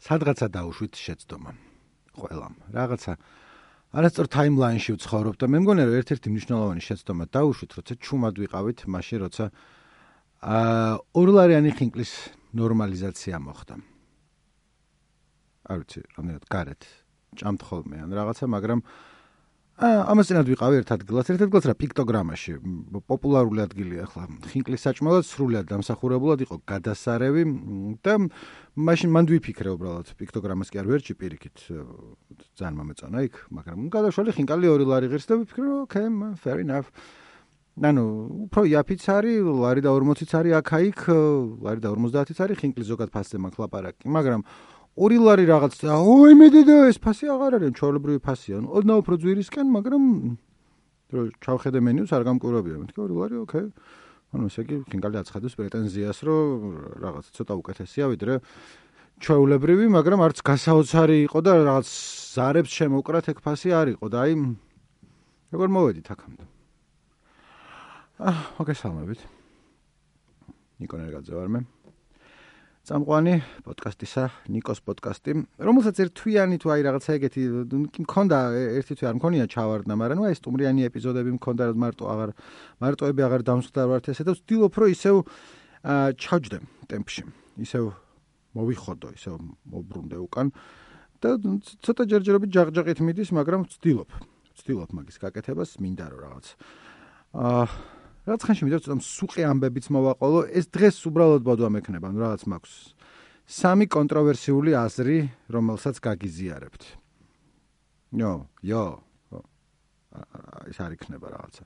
სადღაცა დაუშვით შეცდომა. ყველამ. რაღაცა არასწორ ტაიმლაინში ვცხოვრობ და მე მგონია რომ ერთ-ერთი მნიშვნელოვანი შეცდომა დაუშვით, როცა ჩუმად ვიყავით, მაშინ როცა ორლარიანი ხინკლის ნორმალიზაცია მოხდა. არ ვიცი, რამდენად გარეთ ჭამთ ხოლმე ან რაღაცა, მაგრამ ამას წინათ ვიყავი ერთ ადგილას რა პიქტოგრამაში, პოპულარული ადგილია ახლა. ხინკლის საჭმელად სრულად დამსახურებულად იყო გადასარევი და მაშინ მანდ ვიფიქრე უბრალოდ პიქტოგრამას კი არ ვერჩი პირიქით. ძალიან მომეწონა იქ, მაგრამ გადავშალე ხინკალი 2 ლარი ღირს და ვიფიქრე, okay, fair enough. ანუ უფრო იაფიც არის, ლარი და 40-იც არის აქ-აიქ, ლარი და 50-იც არის, ხინკლის ზოგად ფასზე მაქვს ლაპარაკი, მაგრამ 2 ლარი რაღაც და მე დედა ეს ფასი აღარ არის, ჩვეულებრივი ფასია. ოდნავ უფრო ძვირისკენ, მაგრამ რო ჩავხედე მენიუს არ გამკვირვებია. მეთქი 2 ლარი, okay. ანუ ესე იგი ხინკალი აცხადებს პრეტენზიას, რომ რაღაც ცოტა უკეთესია, ვიდრე ჩვეულებრივი, მაგრამ არც გასაოცარი იყო და რაღაც ზარებს შემოკრათ ეგ ფასი არ იყო და აი როგორ მოვედით აქამდე. მოგესალმებით. ნიკო ნერგაძე ვარ მე. წამყვანი პოდკასტისა, ნიკოს პოდკასტი, რომელსაც ერთთვიანი თუ აი რაღაცა ეგეთი მქონდა, ერთი თვე არ მქონია ჩავარდნა, მაგრამ აი სტუმრიანი ეპიზოდები მქონდა, რომ მარტოები აღარ დამსხდარვართ ესე და ვცდილობ რომ ისევ ჩავჯდე ტემპში, ისევ მოვიხოდო, ისევ მოbrunდე უკან და ცოტა ჯერჯერობით ჯაღჯაღით მიდის, მაგრამ ვცდილობ მაგის გაკეთებას, მინდა რომ რაღაც რაც ხანში მინდა ცოტა მსუყე ამბებიც მოვაყოლო, ეს დღეს უბრალოდ ბოდვა მექნება, რაღაც მაქვს 3 კონტროვერსიული აზრი, რომელსაც გაგიზიარებთ. ეს არ იქნება რაღაცა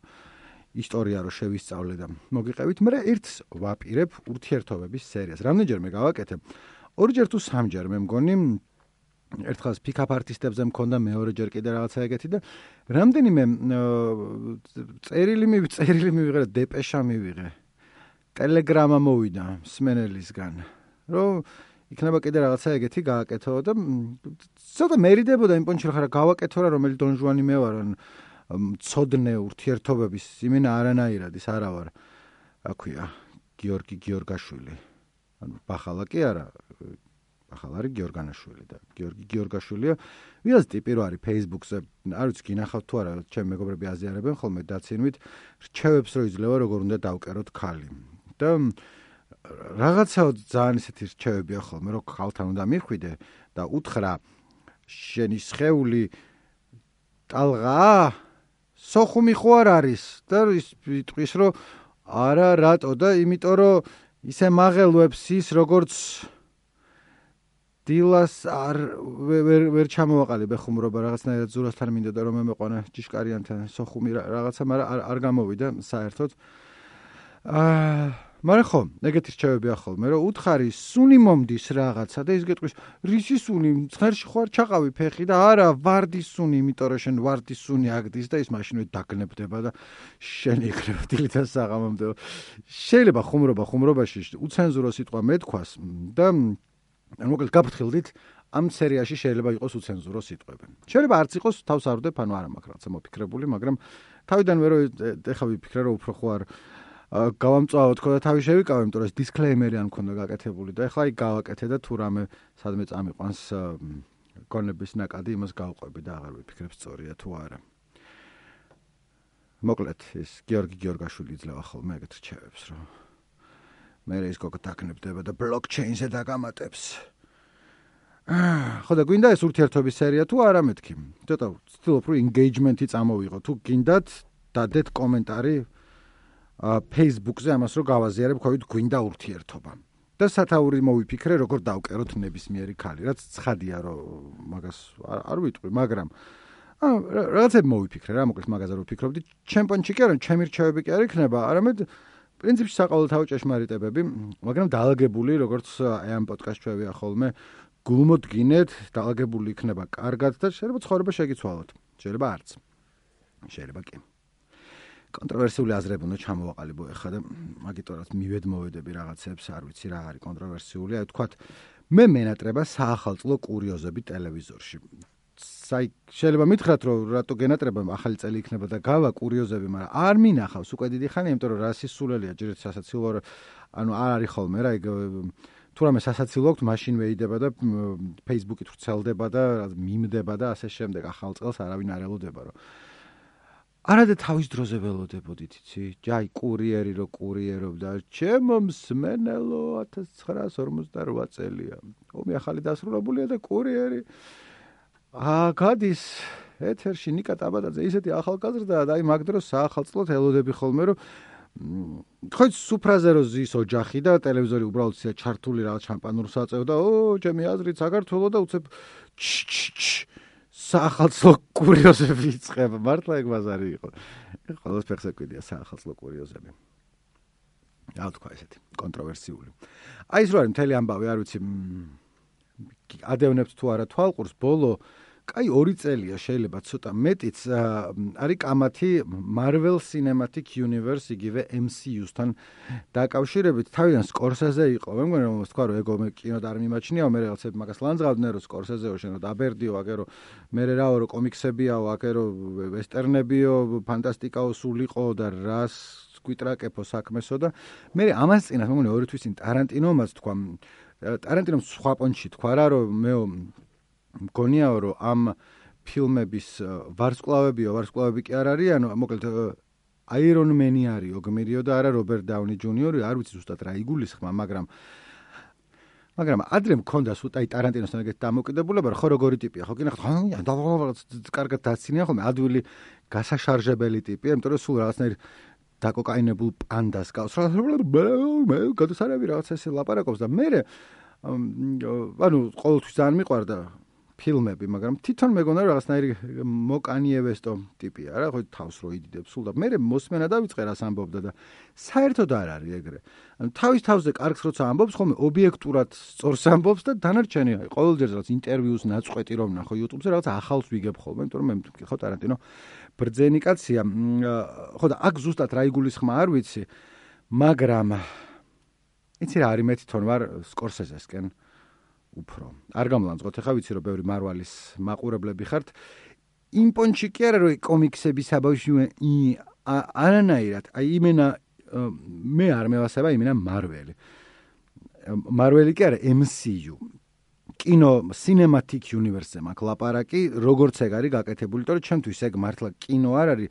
ისტორია რო შევისწავლე და მოგიყევით, მაგრამ ერთს ვაპირებ ურთიერთობების სერიას. რამდენჯერმე გავაკეთე? 2ჯერ თუ 3ჯერ მე მგონი. ერთხელ pick-up artistებზე მქონდა, მეორეჯერ კიდე რაღაცა ეგეთი და რამდენიმე წერილი მივიღე, დეპეშა მივიღე. ტელეგრამა მოვიდა მსმენელისგან, რომ იქნება კიდე რაღაცა ეგეთი გააკეთო და ცოტა მერიდებოდა იმ პონჩი რა გავაკეთო რა, რომელი დონჟუანი მე ვარ, მცოდნე ურთიერთობების იმენა არანაირად ის არა ვარ. აქვია გიორგი გიორგაშვილი. ანუ ბახალა კი არა, ახლა არის გიორგანაშვილი და გიორგი გიორგაშვილია. ვიღაც ტიპი რო არის Facebook-ზე, არ ვიცი გინახავთ თუ არა, ჩემი მეგობრები აზიარებენ ხოლმე დაცინვით, რჩევებს რო იძლევა როგორ უნდა დავკეროთ ქალი. და რაღაცა ძალიან ისეთი რჩევებია ხოლმე, რომ ქალთან უნდა მიხვიდე და უთხრა შენი სხეული ტალღაა, სოხუმი ხო არ არის და იტყვის რომ არა რატო და იმიტომ რომ ისე მაღელვებს ის როგორც დილას ვერ ჩამოვაყალიბე ხუმრობა რაღაცნაირად ზურასთან მინდოდა რომ მემეყვანა ჭიშკარიანთან სოხუმი რაღაცა, მაგრამ არ გამოვიდა საერთოდ. მაგრამ ხო, ეგეთი რჩევებია ხოლმე, რომ უთხარი სუნი მომდის რაღაცა და ის გეტყვის, რისი სუნი, ცხერში ხო არ ჩაყავი ფეხი და არა, ვარდის სუნი, იმიტომ რომ შენ ვარდის სუნი აგდის და ის მაშინვე დაგნებდება და შენ იქნება დილითაც საღამომდე. შეიძლება ხუმრობაში უცენზურო სიტყვა მეთქვას და მოკლედ გაფრთხილდით, ამ სერიაში შეიძლება იყოს უცენზურო სიტყვები. შეიძლება არც იყოს, თავს არ ვდებ, ანუ არა მაქვს რაღაცა მოფიქრებული, მაგრამ თავიდანვე რომ ეხლა ვიფიქრე, რომ უფრო ხო არ გავამწვავო თქო და თავი შევიკავე, იმიტომ რომ ეს დისკლეიმერი არ მქონდა გაკეთებული და ეხლა იქ გავაკეთე და თუ რამე სადმე წამიყვანს გონების ნაკადი, იმას გავყვები და აღარ ვიფიქრებ სწორია თუ არა. მოკლედ ეს გიორგი გიორგაშვილი იძლევა ხოლმე ეგეთ რჩევებს, რომ მე ის გოგო დაგნებდება და ბლოკჩეინზე დაგამატებს. ხო და გვინდა ეს ურთიერთობის სერია თუ არა მეთქი. ცოტა ვცდილობ რომ engagement-ი წამოვიღო. თუ გინდათ, დადეთ კომენტარი Facebook-ზე ამას რომ გავაზიარებ, ხოით გვინდა ურთიერთობა. და სათაური მოვიფიქრე, როგორ დავკეროთ ნებისმიერი ქალი. რაც ცხადია რომ მაგას არ ვიტყვი, მაგრამ რაღაცები მოვიფიქრე რა, მოკლედ მაგაზე რომ ვფიქრობდი, ჩემპიონში კი არა, ჩემი რჩევები კი არ იქნება, არამედ პრინციპში საყოველთაო ჭეშმარიტებები, მაგრამ დაალაგებული, როგორც აი ამ პოდკასტშევია ხოლმე, გულმოდგინეთ, დაალაგებული იქნება კარგად და შეიძლება ცხოვრება შეგიცვალოთ. შეიძლება არც. შეიძლება კი. კონტროვერსიული აზრები უნდა ჩამოვაყალიბო ეხლა და მაგიტორაც მივედმოვედები რაღაცებს, არ ვიცი რა არის კონტროვერსიული, აი თქვათ მე მენატრება საახალწლო კურიოზები ტელევიზორში. შეიძლება მითხრათ რომ რატო გენატრება ახალი წელი იქნება და გავა კურიოზები, მაგრამ არ მინახავს უკვე დიდი ხანია, იმიტომ რომ რასის სულელია ჯერეთ სასაცილო, ანუ არ არის ხოლმე რა, თუ რამე სასაცილო აქვს, მაშინ ვეიდება და Facebook-ით ვრცელდება და მიმდება და ასე შემდეგ ახალ წელს არავინ არ ელოდება, რომ არადა თავის დროზე ველოდებოდით, იცი? ჯაი კურიერი რო კურიერობდა, ჩემო მსმენელო 1958 წელია. ომი ახალი დასრულებულია და კურიერი გადის ეთერში ნიკა ტაბადაძე ისეთი ახალგაზრდაა და აი მაგ დროს საახალწლოდ ელოდები ხოლმე რომ ხო სუფრაზე რო ზის ოჯახი და ტელევიზორი უბრალოდ ისე ჩართული რაღაც შამპანურს აწევდა, ჩემი აზრით საქართველოს და უცებ საახალწლო კურიოზები იწყება. მართლა ეგ ბაზარი იყო. ყველას ფეხზე კვიდია საახალწლო კურიოზები. რა თქვა ესეთი კონტროვერსიული. აი ეს რო არის მთელი ამბავი, არ ვიცი ადევნებთ თუ არა თვალყურს, ბოლო კაი 2 წელია შეიძლება ცოტა მეტიც არის კამათი Marvel Cinematic Universe იგივე MCU-სთან დაკავშირებით. თავიდან Scorsese იყო, მე მგონი რომ თქვა რომ ეგო მე კინოდ არ მიმაჩნიაო, მე რაღაცები მაგას ლანძღავდნენ რომ Scorsese-ო შენო დაბერდიო, აგერო მე რაო რომ კომიქსებიაო, აგერო ვესტერნებიო, ფანტასტიკაო სულიყო და რას გვიტრაკეფო საქმესო და მე ამას წინათ მე მგონი 2 თვის წინ ტარანტინომაც თქვა, ტარანტინომ სხვა პონჩი თქვა რა რომ მეო მგონიაო რომ ამ ფილმების ვარსკვლავები კი არ არიანო, მოკლედ აირონ მენი არისო გმირიო და არა რობერტ დაუნი ჯუნიორი, არ ვიცი ზუსტად რა იგულისხმა, მაგრამ ადრე მქონდა სულ აი ტარანტინოსთან ეგეთ დამოკიდებულება, ხო როგორი ტიპია, ხო კიდე კარგად დაცინია ხოლმე, ადვილი გასაშარჟებელი ტიპია, იმიტომ რომ სულ რაღაცნაირ დაკოკაინებულ პანდას გავს. მე გადასარევი რაღაც ესე ლაპარაკობს და მე ანუ ყოველთვის ძალიან მიყვარდა ფილმები, მაგრამ თვითონ მეგონა რაღაცნაირი მოკანიევესტო ტიპია რა, ხო თავს რო იდიდებს სულ და მე მოსმენა დავიწყე რას ამბობდა და საერთოდ არ არის ეგრე. ანუ თავის თავზე კარგს როცა ამბობს, ხოლმე ობიექტურად სწორს ამბობს და დანარჩენი აი ყოველდღე რაღაც ინტერვიუს ნაწყვეტი რომ ნახო YouTube-ზე რაღაც ახალს ვიგებ ხოლმე, იმიტომ რომ მე ხო ტარანტინო ბრძენი კაცია. ხო და აქ ზუსტად რა იგულისხმა არ ვიცი, მაგრამ იცი რა არის მე თვითონ ვარ Scorsese-სკენ უფრო. არ გამლანძღოთ, ახლა ვიცი რომ ბევრი მარვალის მაყურებლები ხართ. იმ პონჩი კი არა რომ კომიქსების საბავშვი არანაირად, აი იმენა მე არ მევასება იმენა მარველი. მარველი კი არა MCU. კინო Cinematic Universe-ზე მაქვს ლაპარაკი, როგორც ეგ არის გაკეთებული, იმიტომ რომ ჩემთვის ეგ მართლა კინო არ არის,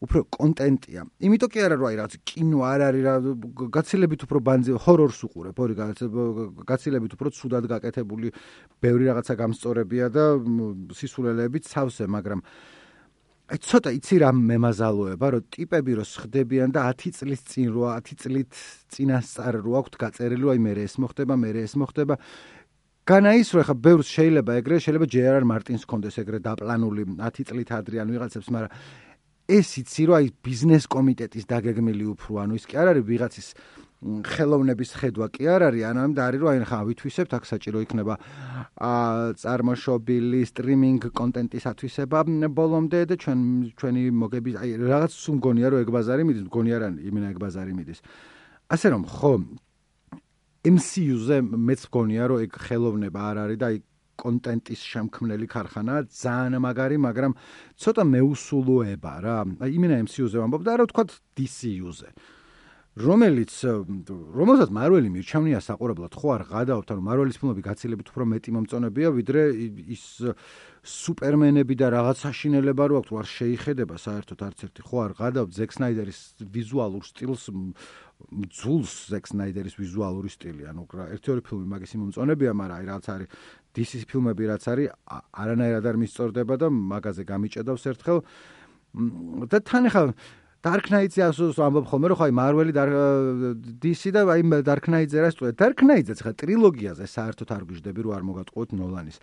უფრო კონტენტია. იმიტომ კი არა რომ აი რაღაც კინო არ არის რა, გაცილებით უფრო ბანძი ჰორორს უყურებ, გაცილებით უფრო ცუდად გაკეთებული, ბევრი რაღაცა გამსწორებია და სისულელეებით სავსე, მაგრამ აი ცოტა იცი რა მემაზალოება, რომ ტიპები რო სხდებიან და 10 წლის წინ რო 10 წლით წინასწარ რო აქვთ გაწერილი, აი მე ეს მოხდება. განა ის რომ ხა ბევრს შეიძლება ეგრე, შეიძლება JR Martins კონდეს ეგრე დაპლანული 10 წლით ადრე ან ვიღაცებს, მაგრამ ეს იცი რომ აი ბიზნეს კომიტეტის დაგეგმილი უფრო, ანუ ის კი არ არის ვიღაცის ხელოვნების ხედვა კი არ არის, ანუ და არის რომ აი ხა ვითვისებთ, აქ საჭირო იქნება წარმოშობილი სტრიმინგ კონტენტის ათვისება ბოლომდე და ჩვენი მოგების აი რაღაც სულ მგონია რომ ეგ ბაზარი მიდის, მგონია რა იმენა ეგ ბაზარი მიდის. ასე რომ ხო MCU-ზე მეც მგონია რომ ეგ ხელოვნება არ არის და აი კონტენტის შემქმნელი ქარხანაა, ძალიან მაგარი, მაგრამ ცოტა მეუსულოება რა. აი იმენა MCU-ზე ვამბობ და არა ვთქვათ DCU-ზე. რომელსაც მარველი მირჩევნია საყურებლად, ხო არ გადაობთ, ანუ მარველის ფილმები გაცილებით უფრო მეტი მომწონებია, ვიდრე ის სუპერმენები და რაღაც საშინელება რო აქვს, არ შეიხედება საერთოდ არც ერთი, ხო არ გადაობთ ზეკ სნაიდერის ვიზუალურ სტილს, ძულს ზეკ სნაიდერის ვიზუალური სტილი, ანუ ერთი-ორი ფილმი მაგის მომწონებია, მაგრამ აი რაც არის DC ფილმები რაც არის, არანაირად არ მისწორდება და მაგაზე გამიჭედავს ერთხელ და თან ახლა Dark Knight-ზე ასოს ამბობ ხოლმე რომ ხაი Marvel-ი DC და აი Dark Knight-ზე რა სწორედ Dark Knight-ზე ხა ტრილოგიაზე საერთოდ არ გვიждები რომ არ მოგატყუოთ ნოლანის.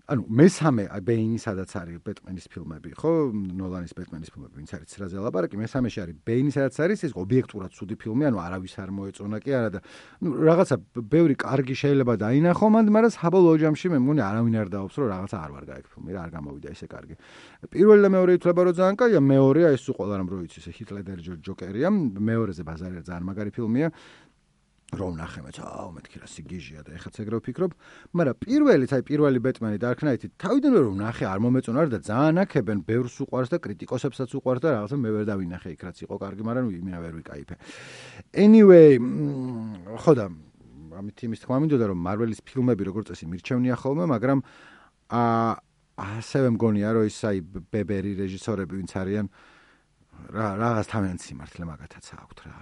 ანუ მესამე ბეინი სადაც არის ბეტმენის ფილმები, ხო? ნოლანის ბეტმენის ფილმები, ვინც არის ცრაზე ლაპარაკი, მესამეში არის ბეინი სადაც არის ეს ობიექტურად ცუდი ფილმი, ანუ არავის არ მოეწონა კი არა და რაღაცა ბევრი კარგი შეიძლება დაინახო მანდ, მაგრამ საბოლოო ჯამში მე მგონი არავინ არ დაობს რომ რაღაცა არ ვარ გაიგ ფილმი რა არ გამოვიდა ისე კარგი. პირველი და მეორე ითვლება რომ ძალიან კაია, მეორეა ეს ყველა რამ რო იცი ეს ჰით ლედერი ჯოკერია, მეორეზე ბაზარი ძალიან მაგარი ფილმია. რომ ნახე მეც მეთქი რა სიგიჟია და ეხაც ეგრე ვფიქრობ, მაგრამ პირველი ბეტმენი Dark Knight-ი თავიდანვე რომ ნახე არ მომეწონა და ძალიან აქებენ, ბევრს უყვარს და კრიტიკოსებსაც უყვარს და რაღაცა მე ვერ დავინახე იქ რაც იყო კარგი, მაგრამ იმენა ვერ ვიკაიფე. Anyway, ხო და ამით იმის თქმა მინდოდა რომ მარველის ფილმები როგორც წესი მირჩევნია ხოლმე, მაგრამ ასევე მგონია რომ ის აი ბებერი რეჟისორები ვინც არიან რაღაც თავიანთი სიმართლე მაგათაც აქვთ რა.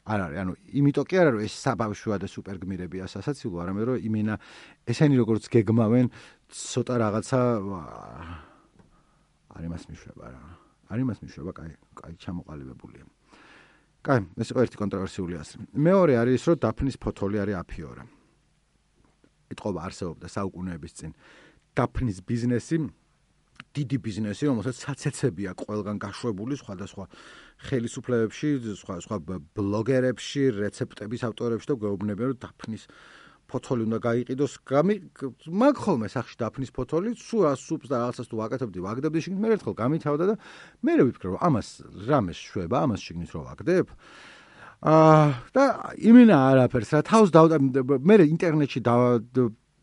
არ არის, ანუ იმიტომ კი არა რომ ეს საბავშვოა და სუპერგმირებია სასაცილო, არამედ რომ იმენა ესენი როგორც გეგმავენ ცოტა რაღაცა არ იმას მიშვება რა. არ იმას მიშვება, კაი ჩამოყალიბებულია. კაი, ეს იყო ერთი კონტროვერსიული აზრი. მეორე არის ის, რომ დაფნის ფოთოლი არის აფიორა. იტყობა არსებობდა საუკუნეების წინ. დაფნის ბიზნესი, დიდი ბიზნესი, რომელსაც საცეცებია ყველგან გაშვებული სხვადასხვა ხელისუფლებებში, სხვა ბლოგერებში, რეცეპტების ავტორებში და გვეუბნებიან, რომ დაფნის ფოთოლი უნდა გაიყიდოს. მაგ ხოლმე სახში დაფნის ფოთოლი, სუპს და რაღაცას თუ ვაგდებდი შიგნით, მე ერთხელ გამითავდა და მე ვიფიქრე, რომ ამას რამეს შვება, ამას შიგნით რო ვაგდებ. და იმენა არაფერს რა თავს მე ინტერნეტში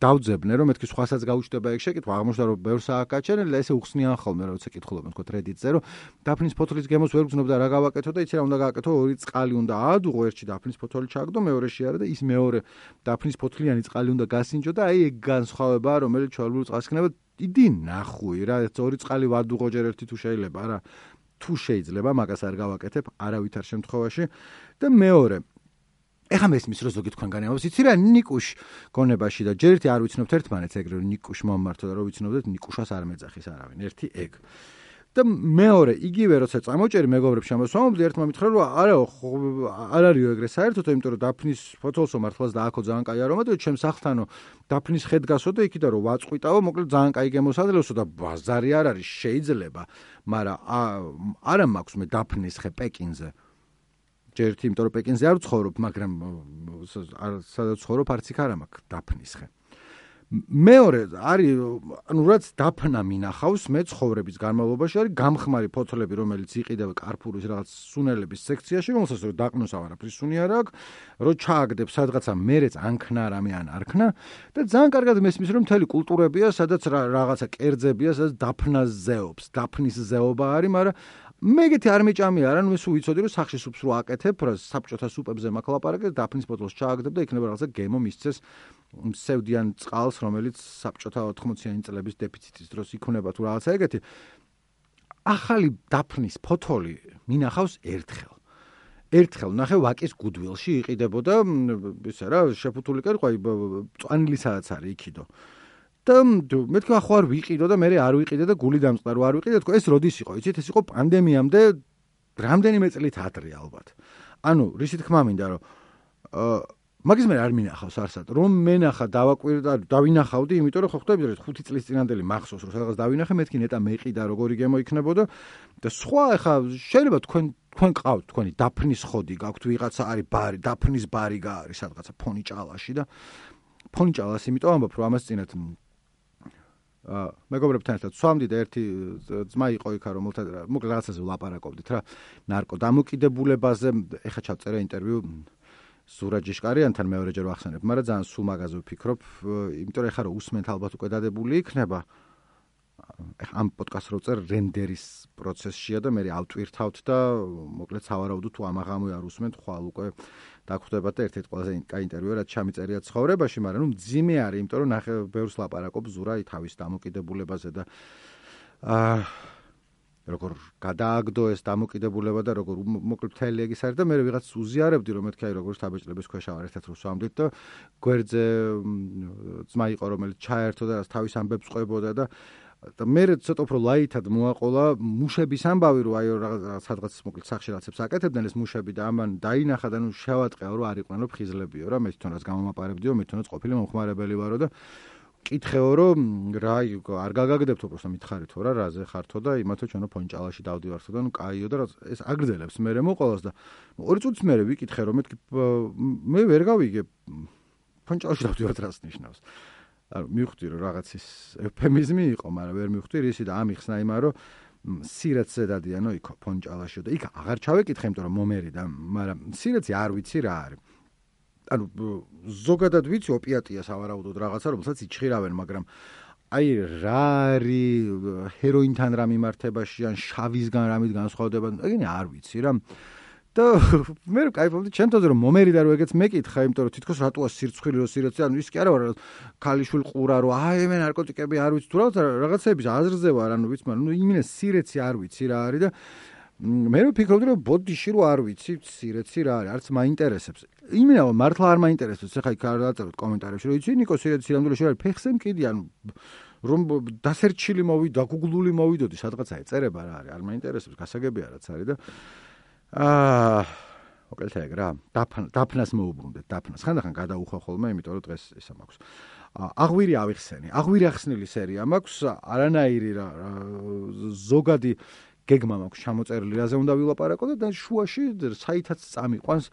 დავძებნე რომ მეთქი სხვასაც გაუჩნდება ეგ შეკითხვა აღმოჩნდა რომ ბევრს ააკაჩენელი და ესე უხსნიან ხოლმე რა როცა კითხულობენ თქო Reddit-ზე რომ დაფნის ფოთოლის გემოს ვერ გძნობ და რა გავაკეთო და იცი რა უნდა გააკეთო ორი წყალი უნდა აადუღო ერთში დაფნის ფოთოლი ჩაგდო მეორეში არა და ის მეორე დაფნის ფოთლიანი წყალი უნდა გასინჯო და აი ეგ განსხვავებაა რომელიც ჩვეულებრივ წყალს იქნება დიდი ნახუი რა ორი წყალი ვადუღო ჯერ ერთი თუ შეიძლება რა თუ შეიძლება მაგას არ გავაკეთებ არავითარ შემთხვევაში და მეორე ეხლა მესმის რომ ზოგი თქვენ განეავს იცი რა ნიკუშ გონებაში და ჯერ ერთი არ ვიცნობთ ერთმანეთს ეგრე რომ ნიკუშ მომმართო და რომ ვიცნობდეთ ნიკუშას არ მეძახის არავინ ერთი ეგ და მეორე იგივე როცა წამოჭერი მეგობრებს შემოსვამობდი ერთმა მითხრა რომ არ არისო ეგრე საერთოდ იმიტომ რომ დაფნის ფოთოლსო მართლაც და აქო ძალიან კაი არომა და ჩემს სახლთანო დაფნის ხედ გასო და იქიდან რომ ვაწყვიტავო მოკლედ ძალიან კაი გემოსადლოსო და ბაზარი არ არის შეიძლება მაგრამ არა მაქვს მე დაფნის ხე პეკინზე ჯერთ იმიტომ რომ პეკინზე არ ვცხოვრობ, მაგრამ სადაც ვცხოვრობ არც იქ არ მაქვს დაფნის ხე. მეორე არის ანუ რაც დაფნა მინახავს მე ცხოვრების განმავლობაში არის გამხმარი ფოთლები რომელიც იყიდება კარფურის რაღაც სუნელების სექციაში რომელსაც რომ დაყნოს არაფრის სუნი არ აქვს რომ ჩააგდებ სადღაცა მერეც ანქნა რამე ან არ ქნა და ძალიან კარგად მესმის რომ მთელი კულტურებია სადაც რაღაცა კერძებია სადაც დაფნას ზეობს დაფნის ზეობა არის მაგრამ მეგეთი არ მეჭამია არა ნუ სულ ვიცოდი რომ სახში სუპს რო აკეთებ რა საბჭოთა სუპებზე მაქვს ლაპარაკი დაფნის ფოთოლს ჩააგდებ და იქნება რაღაცა გემო მისცეს სევდიან წყალს რომელიც საბჭოთა 80-იანი წლების დეფიციტის დროს იქნება თუ რაღაცა ეგეთი ახალი დაფნის ფოთოლი მინახავს ერთხელ ნახე ვაკის გუდვილში იყიდებოდა ისე რა შეფუთული კერყვი წვანილი სადაც არის იქიდო და მეთქი ახო არ ვიყიდო და მე არ ვიყიდე და გული დამწყდა რომ არ ვიყიდე თქო ეს როდის იყო იცით ეს იყო პანდემიამდე რამდენიმე წლით ადრე ალბათ ანუ რისი თქმა მინდა რომ მაგის მე არ მინახავს არსად რომ მენახა დავინახავდი იმიტომ რომ ხო ხვდები რომ 5 წლის წინანდელი მახსოვს რომ სადღაც დავინახე მეთქი ნეტა მეყიდა როგორი გემო იქნებოდა და სხვა ახლა შეიძლება თქვენ ყავთ თქვენი დაფნის ხოდი გაქვთ ვიღაცა არის ბარი დაფნის ბარი გაარის სადღაცა ფონი ჭალაში და ფონი ჭალას იმიტომ ამბობ რომ ამას წინათ მეგობრებთან ერთად სვამდი და ერთი ძმა იყო იქა რომელთან მოკლედ რაღაცაზე ვლაპარაკობდით რა ნარკო დამოკიდებულებაზე ეხა ჩავწერე ინტერვიუ სურაჯიშკარიანთან მეორეჯერ ვახსენებ მაგრამ ძალიან სულ მაგაზე ვფიქრობ იმიტომ რომ ეხა რომ უსმენთ ალბათ უკვე დადებული იქნება ამ პოდკასტს რო წერ რენდერის პროცესშია და მე ავტვირთავთ და მოკლედ სავარაუდოდ თუ ამაღამო არ უსმენთ ხვალ უკვე დაგხვდებათ და ერთ-ერთ ყველაზე კაი ინტერვიუ რაც ჩამიწერია ცხოვრებაში მაგრამ ნუ ძიმე არის იმიტომ რომ ნახე ბევრს ლაპარაკობს ზურა თავის დამოკიდებულებაზე და როგორ გადააგდო ეს დამოკიდებულება და როგორ მოკლედ მთელი ეგ ის არის და მე ვიღაც უზიარებდი რომ მეთქი აი როგორ შთაბეჭდილების ქვეშ ვარ ერთად რო სვამდით და გვერდზე ძმა იყო რომელიც ჩაერთო და თავის ამბებს ყვებოდა და მე ცოტა უფრო ლაითად მოაყოლა მუშების ამბავი რომ აი სადღაც მოკლედ სახში რაღაცებს აკეთებდნენ ეს მუშები და ამან დაინახა და ნუ შევატყეო რომ არ იყვნენ რომ ფხიზლებიო რა მე თვითონაც გამომაპარებდიო მე თვითონაც ყოფილი მომხმარებელი ვარო და კითხეო რომ რა არ გაგაგდებთო პროსტა მითხარითო რა რაზე ხართო და იმათო ჩვენო ფონჭალაში დავდივართო და ნუ კაიო და ეს აგრძელებს მე მოყოლას და 2 წუთის მერე ვიკითხე რომ მე ვერ გავიგე ფონჭალაში დავდივართ რას ნიშნავს ანუ მივხვდი რომ რაღაცის ეფემიზმი იყო მაგრამ ვერ მივხვდი რისი და ამიხსნა იმან რომ სირაც ზედადიანო იქო ფონჭალაშიო და იქ აღარ ჩავეკითხე იმიტომ რომ მომერიდა მაგრამ სირაცი არ ვიცი რა არის ანუ ზოგადად ვიცი ოპიატია სავარაუდოდ რაღაცა რომელსაც იჩხირავენ მაგრამ აი რა არის ჰეროინთან რა მიმართებაში ან შავისგან რამით განსხვავდება ეგენი არ ვიცი რა და მე კაიფობდი ჩემთანაც რომ მომერიდა რომ ეგეც მეკითხა, იმიტომ რომ თითქოს რატოა სირცხვილი რო სიროცი, ანუ ის კი არა რომ ქალიშვილი ყურა რომ აი მე ნარკოტიკები არ ვიცი თუ რაღაცების აზრზე ვარ, ანუ ვიცი, მაგრამ იმენა სირეცი არ ვიცი რა არის და მე ვფიქრობდი რომ ბოდიში რო არ ვიცი სირეცი რა არის, არც მაინტერესებს. იმენა რომ მართლა არ მაინტერესებს, ეხლა იქ არ დაწეროთ კომენტარებში რომ იცი ნიკო სირეცი სირამდვილეში არის, ფეხზე მკიდი, ანუ რომ დასერჩილი მოვიდა, გუგლული მოვიდოდი, სადღაცა ეწერება რა არის, არ მაინტერესებს, გასაგებია რაც არის და მოკლედ ეგ რა, დაფნას მოუბრუნდეთ, დაფნას. ხანდახან გადაუხვა ხოლმე, იმიტომ რომ დღეს ისა მაქვს. აღვირი ავიხსენი. აღვირი ახსნილი სერია მაქვს, არანაირი რა ზოგადი გეგმა მაქვს ჩამოწერილი, რაზე უნდა ვილაპარაკო და შუაში საითაც წამიყვანს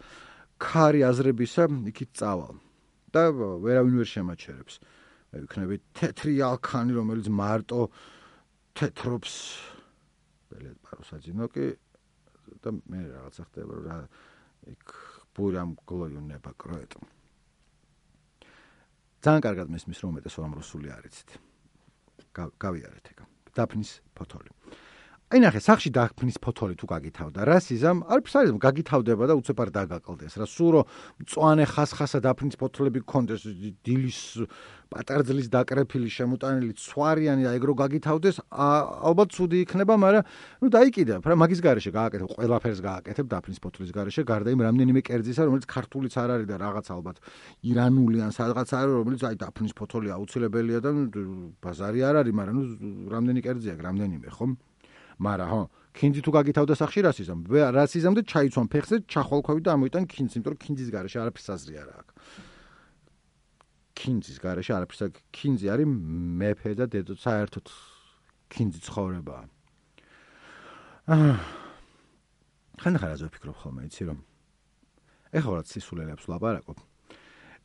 ქარი აზრებისა, იქით წავალ. და ვერავინ ვერ შემაჩერებს. მე ვიქნები თეთრი ალქანი, რომელიც მარტო თეთრობს. ბელეთ პარუსაძინოკი და მე რაღაცა ხდება რა იქ ბურამ გლოიუნება კროეტ. ძალიან კარგად მესმის რომ უმეტესობა ამ რუსული არ იცით. გავიარეთ ეგ. დაფნის ფოთოლი. აი ნახე, სახში დაფნის ფოთოლი თუ გაგითავდა, რა სიზამ, არც არის გაგითავდება და უცებ არ დაგაკლდეს. რა სულ რომ მწვანე ხასხასა დაფნის ფოთოლები გქონდეს, დილის პატარძლის დაკრეფილი შემოტანილი ცვარიანი და ეგ რო გაგითავდეს, ალბათ ცუდი იქნება, მაგრამ ნუ დაიკიდებ, რა მაგის garaშე გააკეთებ, ყველაფერს გააკეთებ დაფნის ფოთოლის garaშე, გარდა იმ რამდენიმე კერძისა, რომელიც ქართულიც არ არის და რაღაც ალბათ ირანული ან სადღაც არის, რომელიც აი დაფნის ფოთოლი აუცილებელია და ბაზარი არ არის, მაგრამ ნუ რამდენი კერძია, რამდენიმე, ხო? მაგრამ ხო, ქინძი თუ გაგითავდა სახში რა სიზამ? რა სიზამ და ჩაიცვან ფეხზე, ჩახვალქვევი და ამოიტან ქინძი, იმიტომ რომ ქინძის garaშე არაფერს აზრი არ აქვს. ქინძის garaშე არაფერს აქვს. ქინძი არის მეფე და დედო, საერთოდ ქინძი ცხოვრებაა. ხანდახან რაზე ვფიქრობ ხოლმე, იცი რომ ეხლა რა სისულელებს ვლაპარაკობ.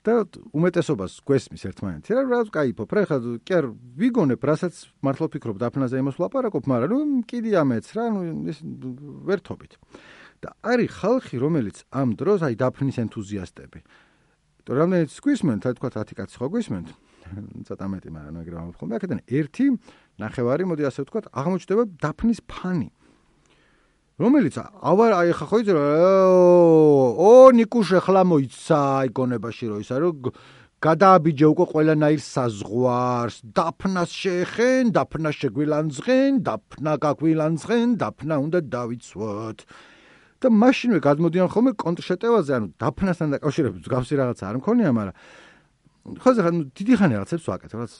და უმეტესობას გვესმის ერთმანეთი რა ვკაიფობ რა ხა კი არ ვიგონებ რასაც მართლა ვფიქრობ დაფნაზე იმას ვლაპარაკობ, მაგრამ ნუ კიდე ამეც რა ნუ ეს ვერთობით. და არის ხალხი რომელიც ამ დროს აი დაფნის ენთუზიასტები. იმიტომ რამდენიც გვისმენთ, აი თქვა 10 კაცი ხო გვისმენთ? ცოტა მეტი, მაგრამ ეგრე ვამბობ. აქედან ერთი ნახევარი, მოდი ასე ვთქვა, აღმოჩნდება დაფნის ფანი. რომელიც აი ხა ხო იცი ნიკუშე ხლა მოიცა იკონებაში რო ისა რომ გადააბიჯე უკვე ყველანაირ საზღვარს, დაფნას შეეხენ, დაფნა შეგვილანძღენ, დაფნა გაგვილანძღენ, დაფნა უნდა დავიცვოთ. და მაშინვე გადმოდიან ხოლმე კონტრშეტევაზე, ანუ დაფნასთან დაკავშირებით მსგავსი რაღაცა არ მქონია, მაგრამ ხო ზღა დიდი ხანი რაღაცებს ვაკეთებ, რაღაც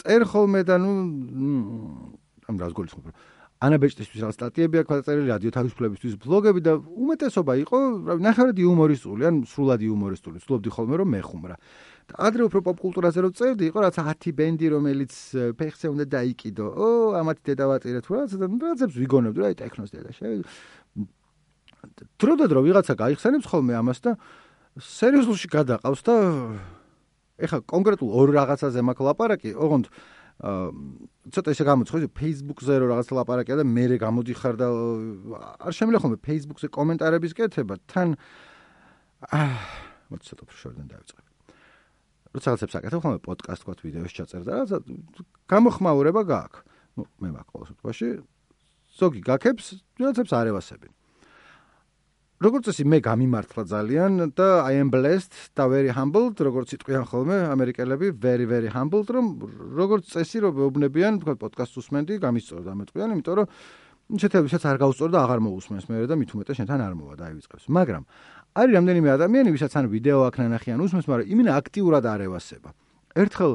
წერ ხოლმე და ნუ ამ რას გულისხმობ რომ ანაბეჭდისთვის რაღაც სტატიები აქვს დაწერილი, რადიო თავისუფლებისთვის ბლოგები და უმეტესობა იყო, ნახევრად იუმორისტული, ან სრულად იუმორისტული. ვცდილობდი ხოლმე რომ მეხუმრა. და ადრე უფრო პოპკულტურაზე რო წერდი, იყო რაღაც 10 ბენდი, რომელიც ფეხზე უნდა დაიკიდო. ამათ დედავაწირეთ რა, რაღაცებს ვიგონებდი, რა, ტექნოს დედა. დრო ვიღაცა გაიხსენებს ხოლმე ამას და სერიოზულში გადაყავს და ეხლა კონკრეტულ ორ რაღაცაზე მაქვს ლაპარაკი, ოღონდ ცოტა ისე გამოცხო, Facebook-ზე რო რაღაც ლაპარაკია და მე გამოდიხარ და არ შემიძლია ხოლმე Facebook-ზე კომენტარების კეთება, თან მოდი ცოტა შორიდან დავიწყებ. როცა რაღაცებს აკეთებ ხოლმე პოდკასტ ვთქვათ, ვიდეოს ჩაწერდა, რაღაცა გამოხმაურება გააქვს. ნუ მე მაქვს ყოველ შემთხვევაში ზოგი გაქებს, რაღაცებს არ ევასებინ. როგორც წესი მე გამიმართლა ძალიან და I am blessed და very humbled, როგორც იტყვიან ხოლმე ამერიკელები, very very humbled, რომ როგორც წესი რომ ვეუბნებიან, თქვა პოდკასტს უსმენდი, გამისწორდა ამეტყვიან, იმიტომ რომ შეთებისაც არ გავუსწორ და აღარ მოусმენს მე და მით უმეტეს შენთან არ მოვა და აივიწყებს. მაგრამ არის რამდენიმე ადამიანი, ვისაც ან ვიდეო აქ ნანახიან უსმენს, მაგრამ იმენა აქტიურად არ ევასება. ერთხელ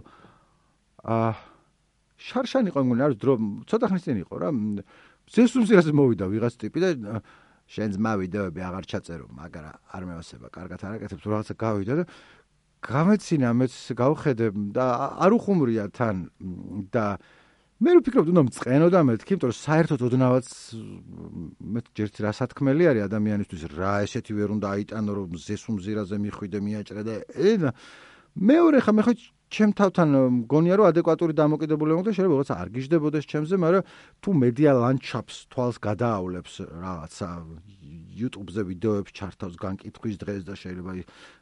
შარშანი იყო მგონი, არის დრო, ცოტა ხნის წინ იყო რა. ზესუმზირაზე მოვიდა ვიღაც ტიპი და შენს მავიდეოები აღარ ჩაწერო, მაგრამ არ მევასება, კარგად არ აკეთებ, თუ რაღაცა გავიდა და გამეცინა, მეც გავხედე და არ უხუმრია თან და მე ვფიქრობ, უნდა მწყენო და მეთქი, იმიტომ რომ საერთოდ ოდნავაც მე ჯერც რა სათქმელი არის ადამიანისთვის, რა ესეთი ვერ უნდა აიტანო, რომ ზესუმზირაზე მიხვიდე, მიაჭრე და მეორე ხა მე ხო ჩემ თავთან მგონია რომ ადეკვატური დამოკიდებულება მქონდა, შეიძლება რაღაცა არ გიждდებოდეს ჩემზე, მაგრამ თუ მედია ლანდშაფტს თვალს გადაავლებს რაღაცა YouTube-ზე ვიდეოებს ჩართავს განკითხვის დღეს და შეიძლება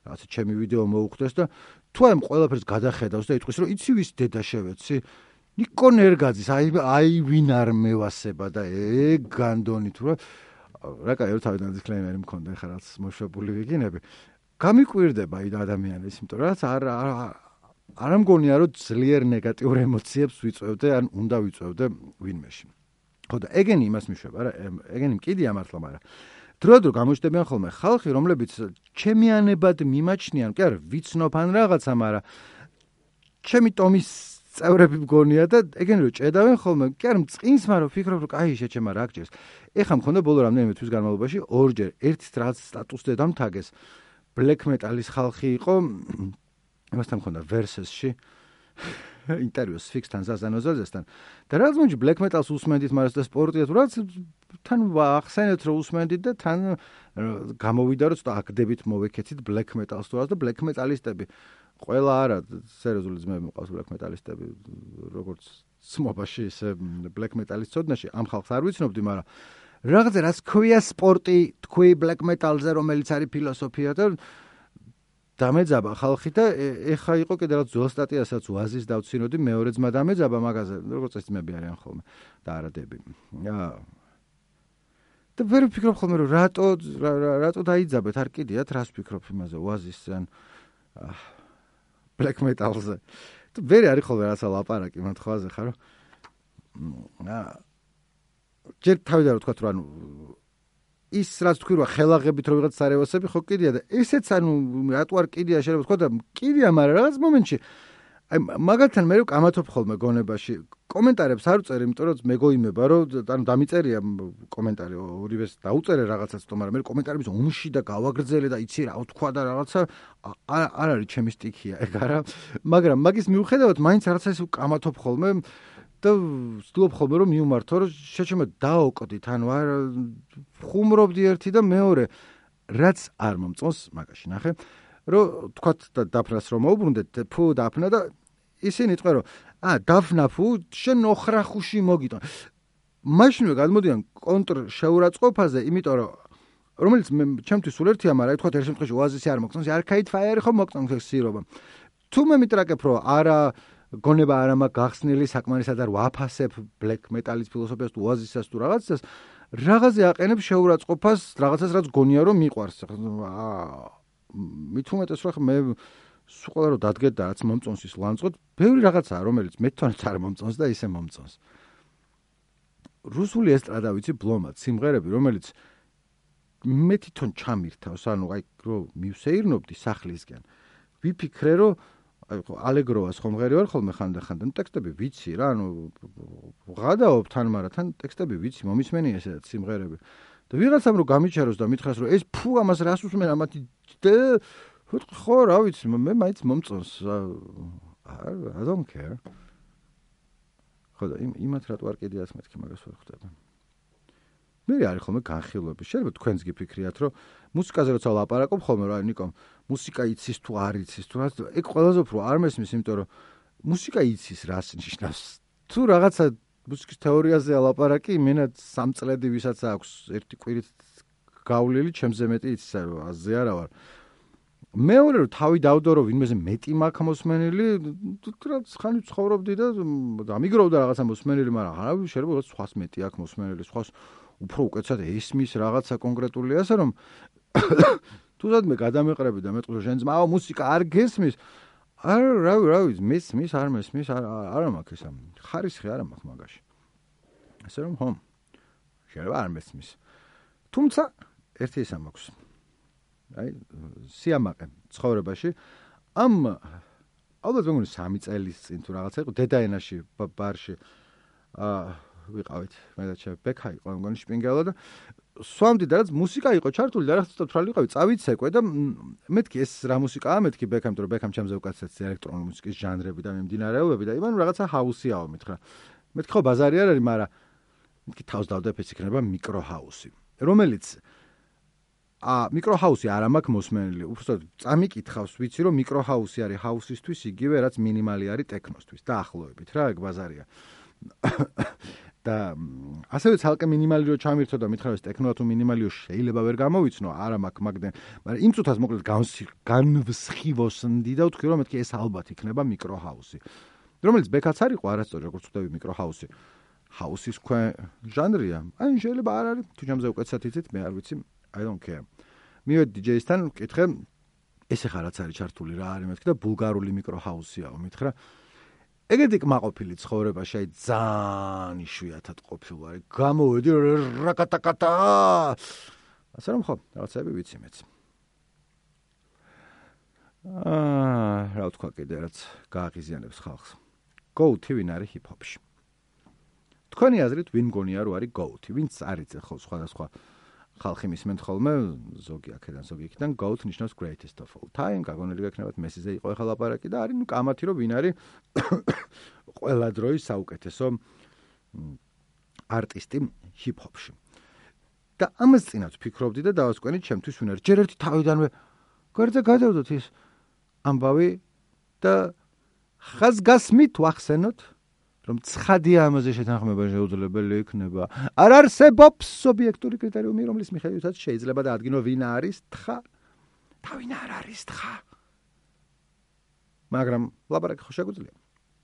რაღაცა ჩემი ვიდეო მოუხდეს და თუ ამ ყველაფერს გადახედავს და იტყვის რომ იცი ვის დედა შევეცი ნიკო ნერგაძის აი ვინ არ მევასება და ეგ განდონი თუ რა რა კაი თავიდან დისკლეიმერი მქონდა ხა რაც მოშვებული ვიგინები გამიკვირდება ადამიანის იმიტომ რაც არ მგონია რომ ძლიერ ნეგატიურ ემოციებს ვიწევდე ან უნდა ვიწევდე ვინმეში ხო და ეგენი იმას მიშვება რა ეგენი მკიდია მართლა მაგრამ დროდადრო გამოჩნდებიან ხოლმე ხალხი რომლებიც ჩემიანებად მიმაჩნიან კი არა ვიცნობ ან რაღაცა მაგრამ ჩემი ტომის წევრები მგონია და ეგენი რომ ჭედავენ ხოლმე კი არა მწყინს მაგრამ ვფიქრობ რომ კაი შეჩემა რა გჯერს ეხლა მქონდა ბოლო რამდენიმე თვის განმავლობაში ორჯერ ერთ რაც სტატუსზე დამთაგეს black metal-ის ხალხი იყო იმასთან მქონდა versus-ში ინტერვიუს ფიქსთან ზაზანოზაზესთან და რაც მომჭი black metal-ს უსმენდით მაგრამ და სპორტია თუ რაც თან ახსენეთ რომ უსმენდით და თან გამოვიდა რომ ცოტა აკდებით მოვეკეთით black metal-ს თუ რაც და black metal-ისტები ყველა არა სერიოზული ძმები მყავს black metal-ისტები როგორც სმობაში ისე black metal-ის ცოდნაში ამ ხალხს არ ვიცნობდი მაგრამ რაღაცა რაც ქვია სპორტი თქვი black metal-ზე რომელიც არის ფილოსოფია და დამეძაბა ხალხი და ეხა იყო კიდე რაღაც ძველ სტატიასაც ვაზის დავცინოდი მეორე ძმა დამეძაბა მაგაზე როგორც ეს ძმები არიან ხოლმე და არადები და ვერ ვფიქრობ ხოლმე რომ რატო დაიძაბეთ არ კიდიათ რას ვფიქრობ იმაზე ვაზის ან black metal-ზე და ვერ არის ხოლმე რაცა ლაპარაკი მათხვაზე ხარო ჯერ თავიდან ვთქვათ რომ ანუ ის რაც თქვი რომ ხელაღებით რომ ვიღაც სარევასები ხო კიდია და ესეც ანუ რატო არ კიდია შეიძლება ვთქვა და კიდია მაგრამ რაღაც მომენტში აი მაგალითად მე რომ კამათობ ხოლმე გონებაში კომენტარებს არ ვწერ იმიტომ რომ მეგოიმება რომ ანუ დამიწერია კომენტარი ორივეს დაუწერე რაღაცას თო მაგრამ მე კომენტარების ომში და გავაგრძელე და იცი რა ვთქვა და რაღაცა არ არის ჩემი სტიქია ეგ არა მაგრამ მაგის მიუხედავად მაინც რაღაცა ის კამათობ ხოლმე და ვცდილობ ხოლმე რომ მიუმართო რომ შეჩემო დაოკოდით ანუ არ ხუმრობდი ერთი და მეორე რაც არ მომწონს მაგაში ნახე რომ თქვათ და დაფნას რომ მოუბრუნდეთ ფუ დაფნა და ისინი თქვენ რომ დაფნა ფუ შენ ოხრახუში მოგიტან მაშინვე გადმოდიან კონტრ შეურაცხყოფაზე იმიტომ რომ რომელიც ჩემთვის სულ ერთია მაგრამ თქვათ ერთ შემთხვევაში ოაზისი არ მოგწონს არქაიდ ფაიერი ხო მოგწონს სირობა თუ მე მიტრაკებ რომ არა გონება არ მაქვს გახსნილი საკმარისად არ ვაფასებ black metal-ის ფილოსოფიას თუ ოაზისას თუ რაღაცას რაღაცზე აყენებ შეურაცხყოფას რაღაცას რაც გონია რომ მიყვარს მით უმეტეს რომ მე სულ ყველა რომ დადგეთ და რაც მომწონს ის ლანძღოთ ბევრი რაღაცაა რომელიც მე თვითონაც არ მომწონს და ისე მომწონს რუსული ესტრადა ვიცი ბლომად სიმღერები რომელიც მე თვითონ ჩამირთავს ანუ აი რომ მივსეირნობდი სახლისგან ვიფიქრე რომ აი ალეგროვას ხომღერი ვარ ხოლმე ხანდახან ტექსტები ვიცი რა ანუ ვღადაობ თან მაგრამ თან ტექსტები ვიცი მომისმენია ესეც სიმღერები და ვიღაცამ რომ გამიჩაროს და მითხრას რომ ეს ფუ ამას რას უსმენ ამათი ხო რა ვიცი მე მაინც მომწონს I don't care ხო და იმათ რატო არ კიდიას მეთქი მაგას ვერ ხვდება მე არის ხოლმე განხილვები შეიძლება თქვენს გიფიქრიათ რომ მუსიკაზე როცა ლაპარაკობ ხოლმე რა ნიკო მუსიკა იცის თუ არ იცის თუ რა ეგ ყველაზე უფრო არ მესმის იმიტომ რომ მუსიკა იცის რას ნიშნავს თუ რაღაცა მუსიკის თეორიაზე ლაპარაკი იმენა 3 წლები ვისაც აქვს ერთი კვირით გავლილი ჩემზე მეტი იცის რომ აზე არა ვარ მეორე რომ თავი დავდო რომ ვინმეზე მეტი მაქვს მოსმენილი რაც ხანი ცხოვრობდი და დამიგროვდა რაღაცა მოსმენილი მაგრამ არა შეიძლება სხვას მეტი აქვს მოსმენილი სხვას უფრო უკეთესად ესმის რაღაცა კონკრეტული ასე რომ თუზად მე გადამეყრები და მეტყვი შენ ძმა მუსიკა არ გესმის რა ვიცი მესმის არ მესმის არა მაქვს ესა ხარისხი არა მაქვს მაგაში ასე რომ ხო შეიძლება არ მესმის თუმცა ერთი ესა მაქვს აი სიამაყე ცხოვრებაში ამ ალბათ მეგონი 3 წელის წინ თუ რაღაცა იყო დედაენაში ბარში ვიყავით მე და ჩემ ბექა იყო მეგონი შპინგელა და სვამდი და რაც მუსიკა იყო ჩართული და რაღაც თვალ ვიყავი წავიცეკვე და მეთქი ეს რა მუსიკაა მეთქი ბექამ თუ ბექამ ჩემზე უკაცეთ ელექტრონული მუსიკის ჟანრები და მიმდინარეობები და იმან რაღაცა ჰაუსიაო მითხრა მეთქი ხო ბაზარი არ არის მაგრამ მეთქი თავს დავდებ ეს იქნება მიკრო ჰაუსი რომელიც მიკრო ჰაუსი არ მაქვს მოსმენილი უბრალოდ წამიკითხავს ვიცი რომ მიკრო ჰაუსი არის ჰაუსისთვის იგივე რაც მინიმალი არის ტექნოსთვის და ახლოებით რა ეგ ბაზარია და ასევე ცალკე მინიმალი რო ჩამირთო და მითხრა ეს ტექნოა თუ მინიმალიო შეიძლება ვერ გამოვიცნო არა მაქვს მაგდენ მაგრამ იმ წუთას მოკლედ განვსხივოსნდი და ვთქვი რომ მეთქი ეს ალბათ იქნება მიკრო ჰაუსი რომელიც ბექაც არ იყო არასწორი როგორც ვთქვი მიკრო ჰაუსი house-ის ჟანრია. აი შეიძლება არ არის, თუ ჯამზე უკეთესად იცით, მე არ ვიცი, I don't care. მივედი DJ-სთან, ვკითხე, ესე ხა რაც არის ჩართული რა არის მეთქი და ბულგარული მიკრო house-იაო, მითხრა. ეგეთი კმაყოფილი ცხოვრება შეიძლება ძალიან იშვიათად ყოფილი. გამოვედი რაკატაკატა. ასე რომ ხო, რაღაცები ვიცი მეც. რა თქვა კიდე რაც გააღიზიანებს ხალხს. Go-to ვინ არის hip-hop-ში? თქვენი აზრით ვინ გონია რომ არის go-to? ვინც არის ხო სხვადასხვა ხალხი მისმენთ ხოლმე, ზოგი აქედან, ზოგი იქიდან, go-to ნიშნავს greatest of all time, გაგონილი გექნებათ მესიზე იყო ახლა ლაპარაკი და არის კამათი რომ ვინ არის ყველა დროის საუკეთესო არტისტი hip-hop-ში. და ამას წინათ ვფიქრობდი და დავასკვენით ჩემთვის ვინ არის. ჯერ ერთი თავიდანვე გვერდზე გადავდოთ ის ამბავი და ხაზგასმით ვახსენოთ რომ ცხადია ამაზე შეთანხმება შეუძლებელი იქნება. არ არსებობს ობიექტური კრიტერიუმი, რომლის მიხედვითაც შეიძლება დაადგინო ვინ არის თხა და ვინ არ არის თხა. მაგრამ ლაპარაკი ხო შეგვიძლია.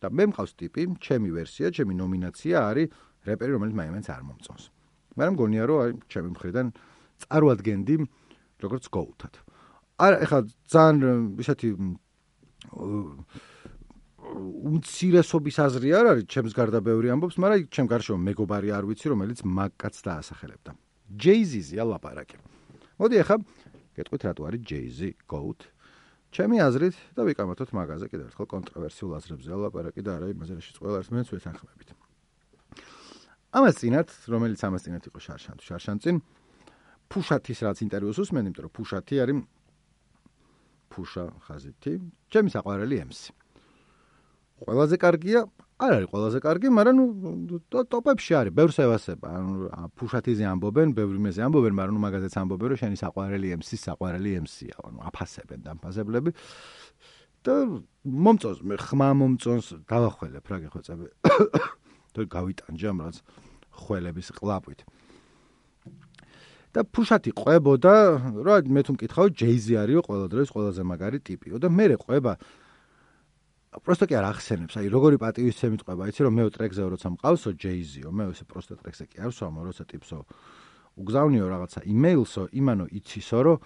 და მე მყავს ტიპი, ჩემი ვერსია, ჩემი ნომინაცია არის რეპერი, რომელიც მაინც არ მომწონს. მაგრამ გონია რომ აი ჩემი მხრიდან წარვადგენდი როგორც go-to-ად. ეხლა ძალიან ისეთი უმცირესობის აზრი არ არის, ჩემს გარდა ბევრი ამბობს, მაგრამ ჩემ გარშემო მეგობარი არ ვიცი, რომელიც მაგკაც დაასახელებდა. Jay-Z-ია ლაპარაკი. მოდი ახლა გეტყვით რატო არის Jay-Z GOAT. ჩემი აზრით და ვიკამათოთ მაგაზე კიდევ ერთხელ კონტროვერსიულ აზრებზე ლაპარაკი და არა იმაზე, რაშიც ყველა ერთმანეთს ვეთანხმებით. ამას წინათ, რომელიც ამას წინათ იყო შარშანწინ, ფუშათის რაც ინტერვიუს უსმენ, იმიტომ რომ ფუშათი არის ფუშა ხაზითი, ჩემი საყვარელი MC. ყველაზე კარგია, არ არის ყველაზე კარგი, მაგრამ ტოპებში არის, ბევრს ევასება. ანუ ფუშათიზე ამბობენ, ბევრი მეზე ამბობენ, მაგრამ მაგაზეც ამბობენ, რომ შენი საყვარელი MC-ის საყვარელი MC-ია, ანუ აფასებენ დამფასებლები. და მომწონს, მე ხმა მომწონს, დავახველებ რა გეხვეწები. თუ გავიტანჯე ამ რაც ხველების ყლაპვით. და ფუშათი ყვებოდა, რა მე თუ მკითხავ, Jay-Z არისო ყველა დროის ყველაზე მაგარი ტიპიო და მე ყვება просто კი არ ახსენებს, აი როგორი პატივისცემით ყვება, იცი რომ მე ტრეკზე როცა მყავსო Jay-Z-ო, მე ესე просто ტრეკზე კი არ ვსვამო, როცა ტიპსო უგზავნიო რაღაცა იმეილსო, იმანო იცისო, რომ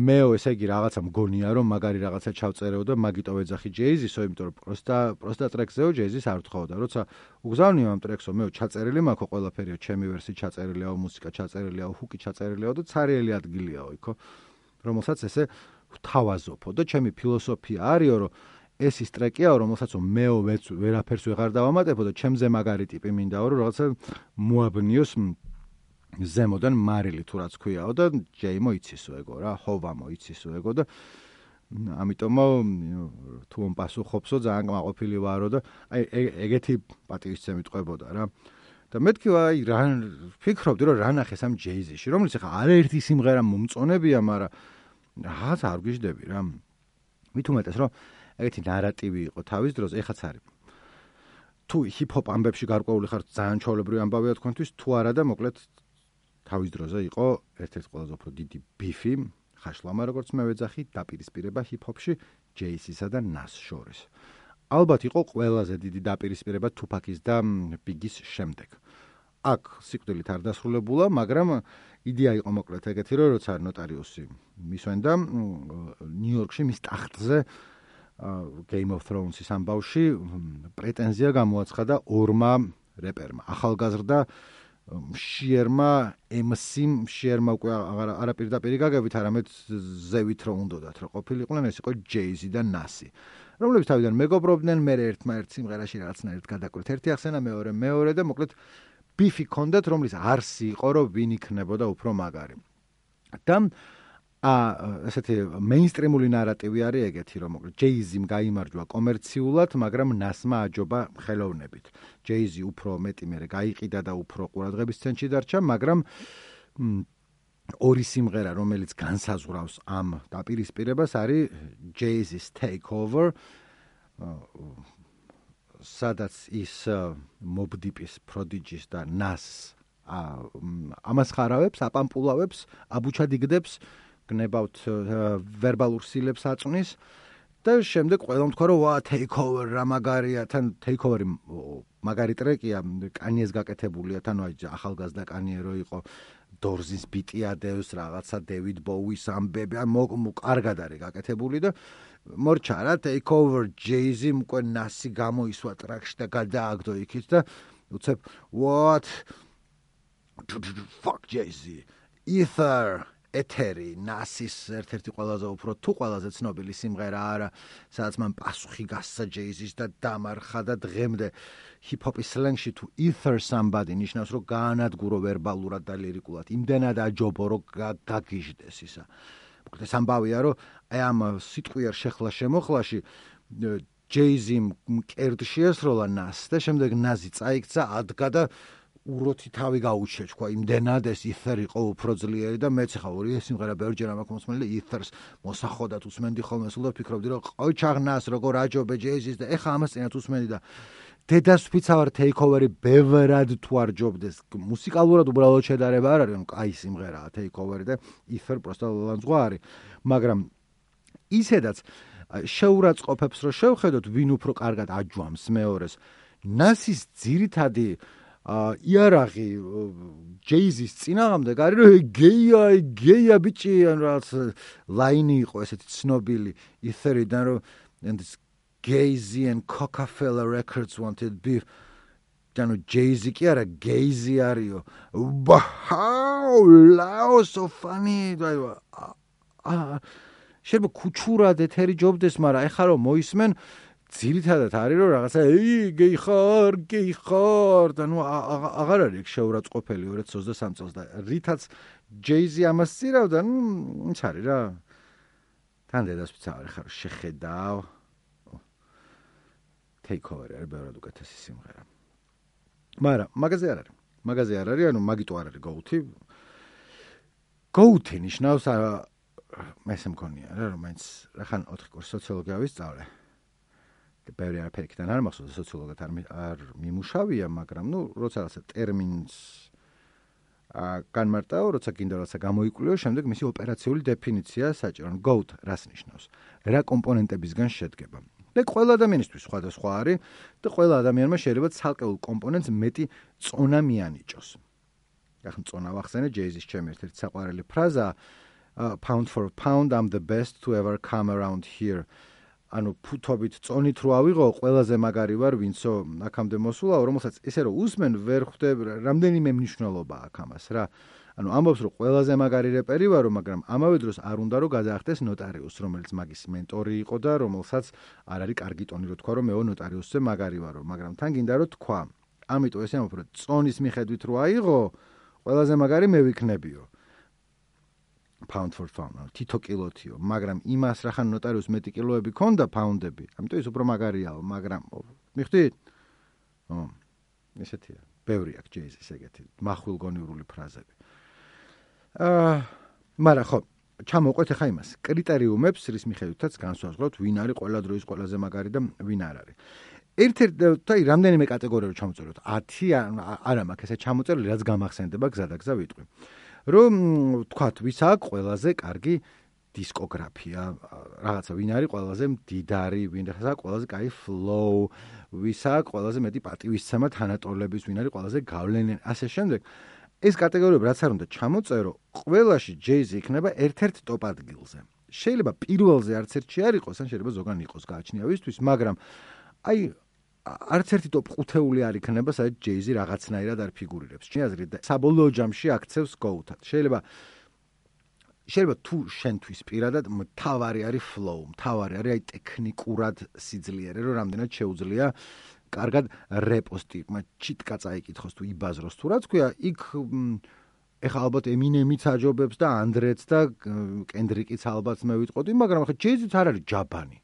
მეო ესე იგი რაღაცა მგონია რომ მაგარი რაღაცა ჩავწერეო და მაგიტო ვეძახი Jay-Z-ო, იმიტომ რომ просто ტრეკზეო Jay-Z-ს არ ვთხოვდა, როცა უგზავნიო ამ ტრეკსო, მეო ჩაწერილი მაქვს ყველაფერიო, ჩემი ვერსი ჩაწერილიაო, მუსიკა ჩაწერილიაო, ჰუკი ჩაწერილიაო და ცარიელი ადგილიაო იქო, რომელსაც ესე ვთავაზობო და ჩემი ფილოსოფია არისო, რომ ეს ის ტრეკია, რომელსაც მეო ვერაფერს ვეღარ დავამატებო და ჩემზე მაგარი ტიპი მინდაო, რომ რაღაცა მოაბნიოს ზემოდან მარილი თუ რაც ქვიაო და ჯეიმო იცისო ეგო რა, ჰოვამო იცისო ეგო და ამიტომ თუ მომპასუხობსო ძალიან კმაყოფილი ვარო და აი ეგეთი პატივისცემით ყვებოდა რა. და მეთქი აი რა ფიქრობდი რომ რა ნახეს ამ Jay-Z-ში, რომელიც ახლა არაერთი სიმღერა მომწონებია, მაგრამ რაღაც არ გვიждები რა. მით უმეტეს რომ ეგეთი ნარატივი იყო თავის დროს, ეხაც არის. თუ ჰიპ-ჰოპ ამბებში გარკვეული ხართ, ძალიან ჩვეულებრივი ამბავია თქვენთვის, თუ არა და მოკლედ თავის დროზე იყო ერთ-ერთი ყველაზე უფრო დიდი ბიფი, ხაშლამა როგორც მე ვეძახი, დაპირისპირება ჰიპ-ჰოპში Jay-Z-სა და Nas შორის. ალბათ იყო ყველაზე დიდი დაპირისპირება Tupac-ის და Biggie-ის შემდეგ. აქ სიკვდილით არ დასრულებულა, მაგრამ იდეა იყო მოკლედ ეგეთი, რომ როცა ნოტარიუსი მისვენდა ნიუ-იორკში მის ტახტზე Game of Thrones-ის ამბავში პრეტენზია გამოაცხადა ორმა რეპერმა, ახალგაზრდა მშიერმა MC-მ, მშიერმა უკვე არა პირდაპირ გაგებით, არამედ ზევით რომ უნდათ რომ ყოფილიყვნენ, ეს იყო Jay-Z და Nas-ი, რომლებიც თავიდან მეგობრობდნენ, მე ერთმა-ერთ სიმღერაში რაღაცნაირად გადაკვირთ, ერთი ახსენა, მეორე და მოკლედ ბიფი ქონდათ, რომლის არსი იყო, რომ ვინ იქნებოდა უფრო მაგარი. და ესეთი მეინსტრიმული ნარატივი არის ეგეთი, რომ მოკლედ Jay-Z-მ გაიმარჯვა კომერციულად, მაგრამ Nas-მა აჯობა ხელოვნებით. Jay-Z უფრო მეტი მერე გაიყიდა და უფრო ყურადღების ცენტრში დარჩა, მაგრამ ორი სიმღერა, რომელიც განსაზღვრავს ამ დაპირისპირებას, არის Jay-Z-ის Takeover, სადაც ის Mobb Deep-ის, Prodigy-ის და Nas ამას ხარავებს, აპამპულავებს, აბუჩადიგდებს, გნებავთ ვერბალურ სილებს აწვნის და შემდეგ ყველამ თქვა რომ ვა Takeover რა მაგარია, თან Takeover-ი მაგარი ტრეკია, კანიეს გაკეთებულია, თან აი ახალგაზრდა კანიე რო იყო, დორზის ბიტი ადევს, რაღაცა დევიდ ბოუის ამბები, კარგად არის გაკეთებული და მორჩა რა, Take Over Jay-Z უკვე ნასი გამოისვა ტრეკში და გადააგდო იქით და უცებ what fuck Jay-Z Ether ეთერი ნასის ერთ-ერთი ყველაზე უფრო თუ ყველაზე ცნობილი სიმღერა არა, სადაც მან პასუხი გასცა Jay-Z-ს და დამარხა და დღემდე ჰიპ-ჰოპის სლენგში თუ Ether somebody ნიშნავს რომ გაანადგურო ვერბალურად და ლირიკულად, იმდენად აჯობო რომ გაგიჟდეს ისა. მოკლედ ეს ამბავია რომ აი ამ სიტყვიერ შეხლა-შემოხლაში Jay-Z მკერდში ესროლა ნასს და შემდეგ ნაზი წაიქცა, ადგა და უროთი თავი გაუჩე, თქვა, იმდენად ეს Ether იყო უფრო ძლიერი და მეც ხა ორი ეს სიმღერა ბევრჯერ მაქვს მოსმენილი და Ether-ს მოსახოდათ უსმენდი ხოლმე სულ და ფიქრობდი რომ ყოი ჩაღნას როგორ აჯობე Jay-Z-ს და ეხა ამას წინათ უსმენდი და დედას ვფიცავარ Take Over-ი ბევრად თუ არ ჯობდეს. მუსიკალურად უბრალოდ შედარება არ არის, კაი სიმღერაა Take Over-ი და Ether პროსტა ლანძღვა არის. მაგრამ ისედაც შეურაცხყოფებს რომ შევხედოთ ვინ უფრო კარგად აჯვამს მეორეს. ნასის ძირითადი იარაღი Jay-Z-ის წინააღმდეგ არის რომ გეია ბიჭი ან რაღაც ლაინი იყო ესეთი ცნობილი Ether-დან რომ Jay-Z and Coca-Cola Records wanted beef. Dano Jay-Z კი არა, Gay-Z არისო. Wow, lao so funny. შეიძლება ქუჩურად ეთერი ჯობდეს, მაგრამ ეხლა რომ მოისმენ ძირითადად არის რომ რაღაცა გეი ხარ და ნუ აღარ არის შეურაცხყოფელი 2023 წელს და რითაც Jay-Z ამას წირავდა, ნუ ის არის რა. თან დედას ვცავარ ხარ შეხედავ. Take Over არის ბევრად უკეთესი სიმღერა. მაგრამ მაგაზე არ არის. მაგაზე არ არის, ანუ მაგიტო არ არის GOAT-ი. GOAT-ი ნიშნავს მესე მქონია რა, რომ მაინც რახან 4 კურსი სოციოლოგია ვისწავლე. და ბევრი არაფერიდან არ მახსოვს სოციოლოგად არ მიმუშავია, მაგრამ ნუ როცა რაღაცა ტერმინს განმარტავ, როცა გინდა რაღაცა გამოიკვლიო, შემდეგ მისი ოპერაციული დეფინიცია საჭირო. GOAT რას ნიშნავს? რა კომპონენტებისგან შედგება? და ყველა ადამიანისთვის სხვადასხვა არის და ყველა ადამიანმა შეიძლება ცალკეულ კომპონენტს მეტი წონა მიანიჭოს. ახლა წონა ვახსენე Jay-Z-ის ჩემი ერთ-ერთი საყვარელი ფრაზა pound for pound I'm the best to ever come around here. ანუ ფუთობით წონით რო ავიღო, ყველაზე მაგარი ვარ, ვინცო აქამდე მოსულაო, რომელსაც ესე რომ უსმენ ვერ ხვდებ რამდენიმე მნიშვნელობა აქვს ამას რა. ანუ ამბობს რომ ყველაზე მაგარი რეპერი ვარო, მაგრამ ამავე დროს არ უნდა რომ გადაახდეს ნოტარიუსს, რომელიც მაგის მენტორი იყო და რომელსაც არ არის კარგი ტონი რო თქვა რომ მეო ნოტარიუსზე მაგარი ვარო, მაგრამ თან გინდა რომ თქვა. ამიტომ ესე ამბობ რომ წონის მიხედვით რო აიღო, ყველაზე მაგარი მე ვიქნებიო. pound for pound, თითო კილოთიო, მაგრამ იმას რახან ნოტარიუს მეტი კილოები ქონდა პაუნდები, ამიტომ ის უფრო მაგარიაო, მაგრამ მიხვდით? ესეთია. ბევრი აქვს Jay-Z-ის ეგეთი მახვილგონიურული ფრაზები. მაგრამ ხო, ჩამოვყვეთ ახლა იმას. კრიტერიუმებს, რის მიხედვითაც განსაზღვროთ, ვინ არის ყველა დროის ყველაზე მაგარი და ვინ არ არის. ერთ-ერთი რამდენიმე კატეგორია ჩამოწეროთ. 10 არა მაქვს ესე ჩამოწერილი, რაც გამახსენდება გზადაგზა ვიტყვი. რომ თქვათ, ვის აქვს ყველაზე კარგი დისკოგრაფია, რაღაცა ვინ არის ყველაზე მდიდარი, ვინ აქვს ყველაზე კაი flow, ვის აქვს ყველაზე მეტი პატივისცემა თანატოლების, ვინ არის ყველაზე გავლენიანი, ასე შემდეგ. ეს კატეგორიები რაც არ უნდა ჩამოწერო, ყველაში Jay-Z იქნება ერთ-ერთ ტოპ ადგილზე. შეიძლება პირველზე არც ერთში არ იყოს, ან შეიძლება ზოგან იყოს გააჩნია ვისთვის, მაგრამ აი არც ერთი ტოპ 5-ეული არ იქნება, სადაც Jay-Z რაღაცნაირად არ ფიგურირებს. შეაზრით და საბოლოო ჯამში აქცევს GOAT-ად. შეიძლება თუ შენთვის პირადად მთავარი არის flow, მთავარი არის აი ტექნიკურად სიძლიერე, რომ რამდენად შეუძლია კარგად რეპოსტი, ჩიტკა წაიკითხოს თუ იბაზროს თუ რაც ქვია, იქ ეხლა ალბათ Eminem-იც აჯობებს და Andre-ც და Kendrick-იც ალბათ მე ვიტყოდი, მაგრამ ახლა Jay-Z-ც არ არის ჯაბანი.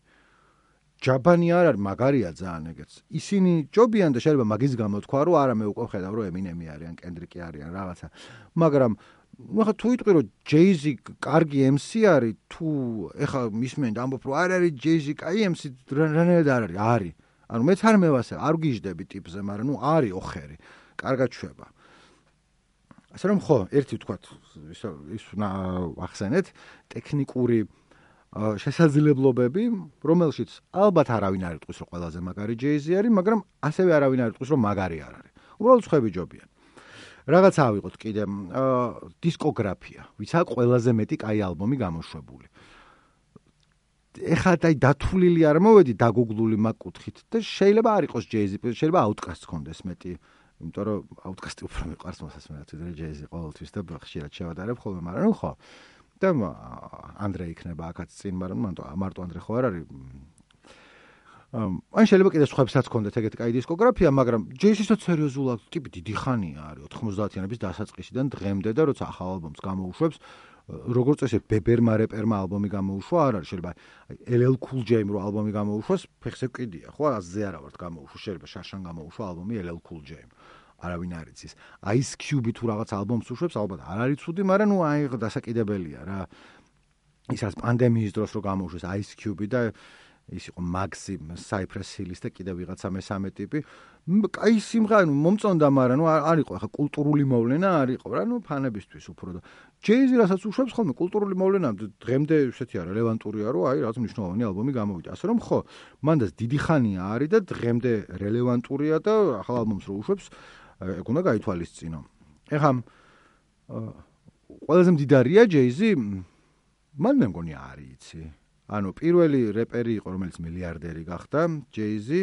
ჯაბანი არ არის, მაგარია ძალიან ეგეც. ისინი ჯობიან და შეიძლება მაგის გამო თქვა, რომ არა მე უკვე ხედავ, რომ Eminem-ი არის ან Kendrick-ი არის ან რაღაცა. მაგრამ ახლა თუ იტყვი რომ Jay-Z კარგი MC არის, თუ ეხლა მისმენთ ამბობ რომ არ არის Jay-Z კაი MC, რანაირად არ არის? არის. ანუ მეც არ მევასე, არ გიждები ტიპზე, მაგრამ ნუ არის ოხერი. კარგად შვება. ასე რომ ხო, ერთი ვთქვათ, ის ახსენეთ, ტექნიკური შესაძლებლობები, რომელშიც ალბათ არავინ არ იტყვის, რომ ყველაზე მაგარი ჯეიზი არის, მაგრამ ასევე არავინ არ იტყვის, რომ მაგარი არ არის. უბრალოდ სხვები ჯობიან. რაღაცა ავიღოთ კიდე დისკოგრაფია, ვიცა ყველაზე მეტი კაი ალბომი გამოშვებული. ეხლა დათვლილი არ მოვედი დაგუგლული მაგკუთხით და შეიძლება არ იყოს ჯეიზი, შეიძლება აუტკასტს კონდეს მეტი, იმიტომ რომ აუტკასტი უფრო მიყვარს მოსასმენად, ვიდრე ჯეიზი ყოველთვის და ხშირად შევადარებ ხოლმე, მაგრამ ხო. და ანდრე იქნება აქაც წინ, მაგრამ მარტო ანდრე ხო არ არის. ან შეიძლება კიდე სხვებსაც კონდეთ ეგეთი კაი დისკოგრაფია, მაგრამ ჯეიზისაც სერიოზულად ტიპი დიდი ხანია არის 90-იანების დასაწყისიდან დღემდე და როცა ახალ ალბომს გამოუშვებს, როგორც წესი ბებერმა რეპერმა ალბომი გამოუშვა, არ არის შეიძლება LL Cool J-მ რო ალბომი გამოუშვას, ფეხზე კიდია, ხო, აზზე არა ვართ გამოუშვა, შეიძლება შარშან გამოუშვა ალბომი LL Cool J-მ. არავინ არ იცის. Ice Cube თუ რაღაც ალბომს უშვებს, ალბათ არ არის ცუდი, მაგრამ ნუ აი დასაკიდებელია რა. ისაც პანდემიის დროს რო გამოუშვეს Ice Cube და ის იყო Maxim, Cypress Hill-ის და კიდე ვიღაცა მესამე ტიპი. კაი სიმღერა მომწონდა, მაგრამ ნუ არ იყო ახლა კულტურული მოვლენა არ იყო რა, ნუ ფანებისთვის უფრო და ჯეიზი რასაც უშვებს ხოლმე კულტურული მოვლენა დღემდე ესეთი არა რელევანტურია, რომ აი რაღაც მნიშვნელოვანი ალბომი გამოვიდა. ასე რომ ხო, მანდაც დიდი ხანია არის და დღემდე რელევანტურია და ახალ ალბომს რო უშვებს ეგ უნდა გაითვალისწინო. ეხლა ყველაზე მდიდარია ჯეიზი? მან მე მგონი არის იცი. ანუ პირველი რეპერი იყო, რომელიც მილიარდერი გახდა, ჯეიზი.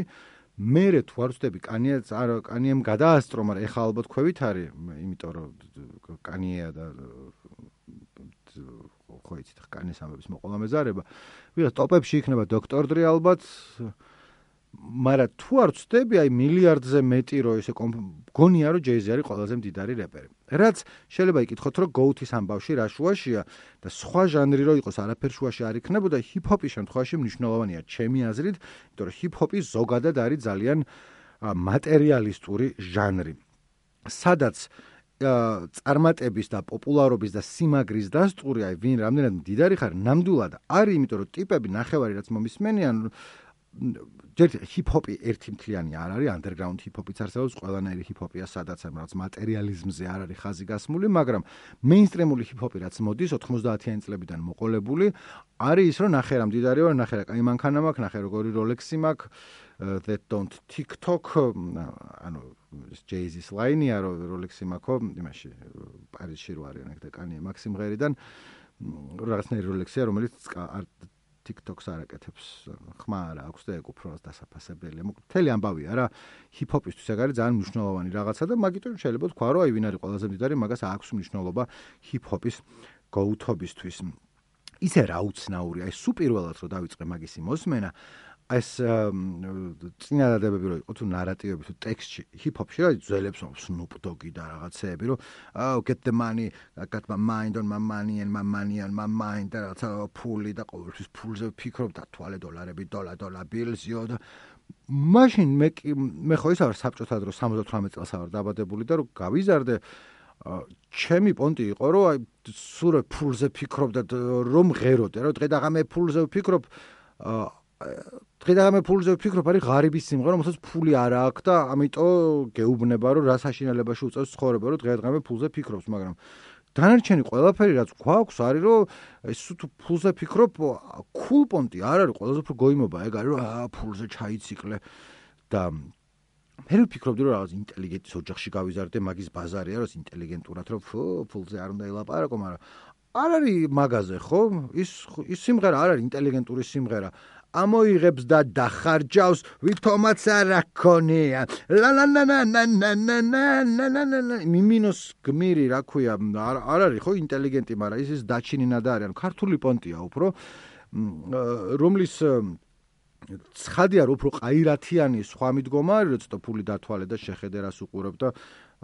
მერე თუ არ ვწდები, კანიემ გადაასწრო, მაგრამ ეხლა ალბათ ქვევით არის, იმიტომ რომ კანია და ხო იცით, კანიეს ამბების მოყოლა მეზარება. ვიღაც ტოპებში იქნება დოქტორ დრი ალბათ. მაგრამ თუ არ ვწდები, აი მილიარდზე მეტი რო ესე გონია, რომ ჯეიზი არის ყველაზე მდიდარი რეპერი. რაც შეიძლება იკითხოთ, რომ GOAT-ის ამბავში რა შუაშია და სხვა ჟანრი რო იყოს, არაფერ შუაში არ იქნებოდა, ჰიპ-ჰოპის შემთხვევაში მნიშვნელოვანია ჩემი აზრით, იმიტომ რომ ჰიპ-ჰოპი ზოგადად არის ძალიან მატერიალისტური ჟანრი. სადაც წარმატების და პოპულარობის და სიმაგრის დასტური, აი ვინ რამდენად მდიდარი ხარ, ნამდვილად არის, იმიტომ რომ ტიპები ნახევარი რაც მომისმენიან ჰიპ-ჰოპი ერთი მთლიანი არ არის, underground ჰიპ-ჰოპიც არსებობს, ყველანაირი ჰიპ-ჰოპია, სადაც რაღაც მატერიალიზმზე არ არის ხაზი გასმული, მაგრამ მეინსტრიმული ჰიპ-ჰოპი რაც მოდის 90-იანი წლებიდან მოყოლებული, არის ის, რომ ნახე რა მდიდარი ვარ, ნახე რა კაი მანქანა მაქვს, ნახე როგორი როლექსი მაქვს, that don't TikTok, ანუ Jay-Z-ის ლაინია, რომ როლექსი მაქვს, იმაში პარიზში რო არიან და კანია მაქსიმღერიდან რაღაცნაირი როლექსია, რომელიც TikTok-ს არაკეთებს, ხმა არა აქვს და ეგ უფრო დასაფასებელია. მთელი ამბავია რა, ჰიპ-ჰოპისთვის ეგ არის ძალიან მნიშვნელოვანი რაღაცა და მაგიტომ შეიძლება თქვა, რომ აი ვინ არის ყველაზე მდიდარი, მაგას აქვს მნიშვნელობა ჰიპ-ჰოპის GOAT-ობისთვის. ისე რა უცნაური, აი სუპირველად რო დავიწყე მაგისი მოსმენა, ეს წინადადებები რო იყო თუ ნარატივები თუ ტექსტში ჰიპ-ჰოპში რა ძველებს Snoop Dogg-ი და რაღაცეები რომ get the money, I got my mind on my money and my money on my mind და რაღაცა ფული და ყოველთვის ფულზე ვფიქრობ და თვალე დოლარები, დოლარ ბილზიო და მაშინ მე ხო ისა ვარ საბჭოთა დროს 78 წელს ვარ დაბადებული და რომ გავიზარდე ჩემი პონტი იყო რომ აი სულ ფულზე ფიქრობ და რომ ღეროდე რომ დღე და ღამე ფულზე ვფიქრობ დღე-დღე ფულზე ვფიქრობ, არის ღარიბის სიმღერა, რომელსაც ფული არ აქვს და ამიტომ გეუბნება, რომ რა საშინელებაში უწევს ცხოვრება, რომ დღე-დღე ფულზე ფიქრობს, მაგრამ დანარჩენი ყველაფერი რაც გვაქვს არის, რომ ეს თუ ფულზე ფიქრობ, cool პონტი არ არის, ყველაზე უფრო გოიმობა ეგ არის, რომ ფულზე ჩაიციკლე და მე ვფიქრობდი, რომ რაღაც ინტელიგენტის ოჯახში გავიზარდე, მაგის ბაზარია, რომ ინტელიგენტურად რომ ფულზე არ უნდა ელაპარაკო, მაგრამ არ არის მაგაზე, ხო? ის სიმღერა არ არის ინტელიგენტური სიმღერა. ამოიღებს და დახარჯავს ვითომაც არ აქონია ლა ლა ლა ლა ლა ლა ლა ლა მიმინოს გმირი რა ქვია არ არის ხო ინტელიგენტი მაგრამ ის დაჩინინადა არის ანუ ქართული პონტია უფრო რომლის ცხადია რომ უფრო ყაირათიანი სხვა მიდგომა არის რომ ცოტა ფული დათვალე და შეხედე რას უყურებ და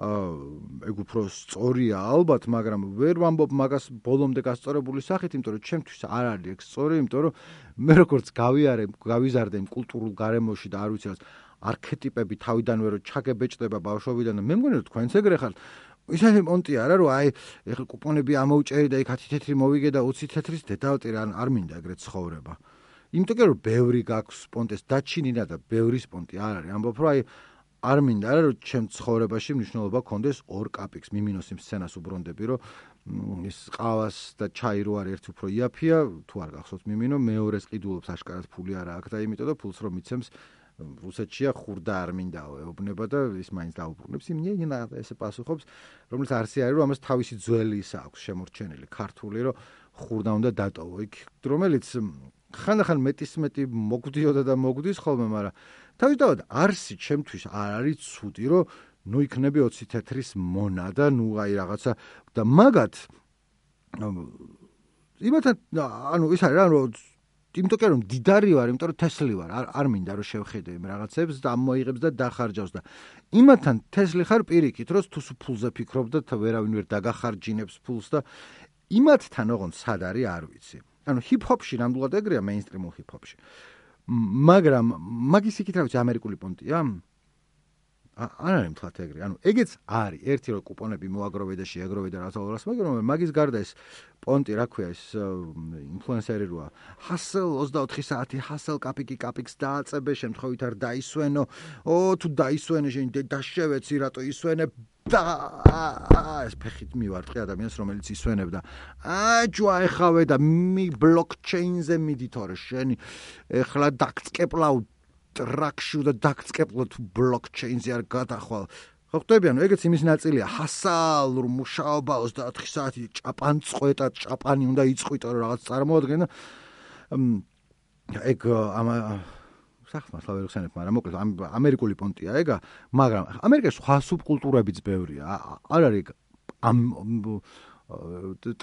ეგ უფრო სწორია ალბათ, მაგრამ ვერ ვამბობ მაგას ბოლომდე გასწორებული სახით, იმიტომ რომ ჩემთვის არ არის ეგ სწორი, იმიტომ რომ მე როგორც გავიზარდე იმ კულტურულ გარემოში და არ ვიცი რა არქეტიპები თავიდანვე რომ ჩაგებეჭდება ბავშვობიდან და მე მგონი რომ თქვენც ეგრე ხართ. ისეთი პონტი არა რომ აი ეხლა კუპონები ამოუჭერი და იქ 10 თეთრი მოვიგე და 20 თეთრის დედავტი არ მინდა ეგრე ცხოვრება. იმიტომ რომ ბევრი გაქვს პონტეს დაჩინინა და ბევრი პონტი არ არის. ამბობ რომ აი არ მინდა რა რომ ჩემ ცხოვრებაში მნიშვნელობა კონდეს ორ კაპიკს მიმინოს იმ სცენას უბრუნდები რომ ის ყავას და ჩაი რო არის ერთი უფრო იაფია თუ არ გახსოვთ მიმინო მეორეს ყიდულობს აშკარად ფული არა აქვს და იმიტომ და ფულს რომ მიცემს რუსეთშია ხურდა არ მინდაო ეუბნება და ის მაინც დაუბრუნებს იმ ნინა ესე პასუხობს რომელიც არც არის რომ ამას თავისი ძველი ისა აქვს შემორჩენილი ქართული რომ ხურდა უნდა დატოვო იქ რომელიც ხანდახან მეტისმეტი მოგვდიოდა და მოგვდის ხოლმე მაგრამ თავისთავად არსი ჩემთვის არ არის ცუდი რომ ნუ იქნები 20 თეთრის მონა და ნუ აი რაღაცა და მაგათ იმათან ანუ ის არის რა რომ იმიტომ რომ დიდარი ვარ, იმიტომ რომ თესლი ვარ, არ მინდა რომ შევხედე იმ რაღაცებს და მოიღებს და დახარჯავს და იმათან თესლი ხარ პირიქით, რომ თუ ფულზე ფიქრობ და ვერავინ ვერ დაგახარჯინებს ფულს და იმათთან ოღონდ სად არის არ ვიცი. ანუ ჰიპ-ჰოპში ნამდვილად ეგრეა მეინსტრიმულ ჰიპ-ჰოპში. მაგრამ მაგის იქით რა ვიცი ამერიკული პონტია? არ არის მთლად ეგრე. ანუ ეგეც არის. ერთი რომ კუპონები მოაგროვე და შეაგროვე და რაღაცა რას, მაგრამ მაგის გარდა ეს პონტი, რა ქვია, ეს ინფლუენსერი როა. ჰასელ 24 საათი, ჰასელ კაპიკს დააწებე, შემთხვევით არ დაისვენო. თუ დაისვენე, შენ დაშევეცი, რატო ისვენებ? და ეს ფეხით მივარტყი ადამიანს, რომელიც ისვენებდა. ჯვა ეხავე და ბლოკჩეინზე მიდითორე, შენი ეხლა დაგწკეპლავ ტრაქში და დაგწკეპლო თუ ბლოკჩეინზე არ გადახვალ. ხო ხტები, ანუ ეგეც იმის ნაწილია. ჰასალურ მუშაობა 24 საათი ჭაპან წყვეტა, ჭაპანი უნდა იწყვიტო რომ რაღაც წარმოადგენ. ეგ სახმას ვერ ხსენებ, მაგრამ მოკლედ ამერიკული პონტია ეგა, მაგრამ ამერიკაში სხვა სუბკულტურებიც ბევრია. არ არის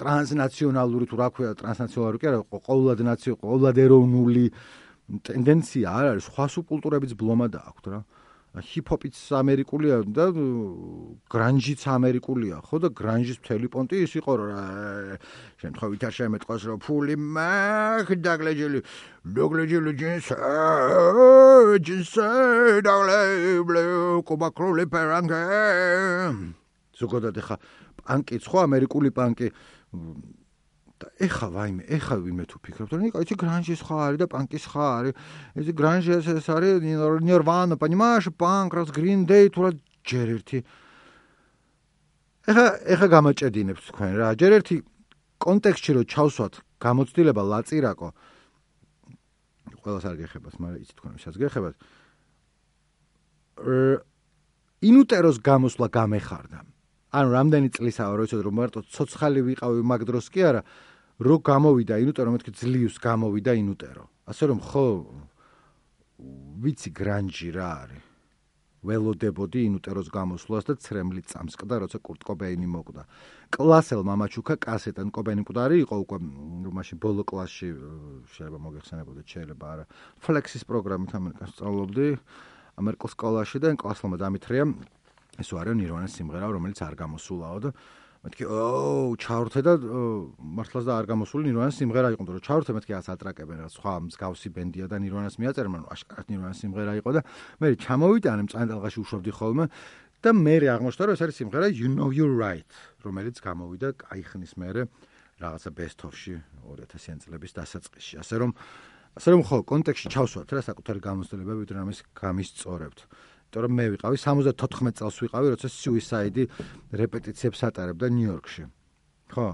ტრანსნაციონალური თუ რა ქვია, ტრანსნაციონალური კი არა, ყოვლად ეროვნული ტენდენცია არ არის, სხვა სუბკულტურებიც ბლომად აქვს რა. ჰიპ-ჰოპიც ამერიკულია და გრანჟიც ამერიკულია, ხო და გრანჟის მთელი პონტი ის იყო რა. შემთხვევით არ შემეტყოს რომ ფული მაქვს დაგლეჯილი ჯინსი დაგლეიბლე კუბაკრული პერანგე. ზოგადად ეხა პანკიც ხო ამერიკული პანკი და ეხა ვინმე თუ ფიქრობთ რომ იცი გრანჟის ხა არის და პანკის ხა არის ეს გრანჟი ეს არის ნირვანა понимаешь панк раз green day თუ რა ჯერ ერთი ეხა გამაჭედინებს თქვენ რა ჯერ ერთი კონტექსტში რომ ჩავსვათ გამოცდილება ლაწირაკო ყველას არ გეხებათ მაგრამ იცი თქვენ ვისაც გეხებათ ინუტეროს გამოსვლა გამეხარდა ანუ რამდენი წლისაა რომ იცოდე რომ მარტო ცოცხალი ვიყავი მაგ დროს კი არა რო გამოვიდა ინუტერო მეთქი ძლივს გამოვიდა ინუტერო ასე რომ ხო ვიცი გრანჟი რა არის ველოდებოდი ინუტეროს გამოსვლას და ცრემლი წამსკდა როცა კურტ კობეინი მოკვდა კლასელ მამაჩუკა კასეტან კობეინი მკვდარი იყო უკვე მაშინ ბოლო კლასში შეიძლება მოგეხსენებოდეთ შეიძლება არა ფლექსის პროგრამით ამერიკას სწავლობდი ამერიკულ სკოლაში და კლასელმა დამითხრია ეს ვარ ნირვანას სიმღერა რომელიც არ გამოსულაო და მეთქი ჩავრთე და მართლაც და არ გამოსული ნირვანას სიმღერა იყო რომ ჩავრთე მეთქი რაც ატრაკებენ რა სხვა მსგავსი ბენდია და ნირვანას მიაწერენ ანუ აშკარად ნირვანას სიმღერა იყო და მე ჩამოვიტანე მწანტალღაში უშვებდი ხოლმე და მე აღმოჩნდა რომ ეს არის სიმღერა You Know You're Right რომელიც გამოვიდა კაიხნის მერე რაღაცა best of-ში 2000-იან წლების დასაწყისში ასე რომ ხო კონტექსტში ჩავსვათ რა საკუთარი გამოცდილებები ვიდრე ამის გამისწორებთ იმიტომ მე ვიყავი 74 წელს ვიყავი, როცა Suicide რეპეტიციებს ატარებდა ნიუ-იორკში. ხო?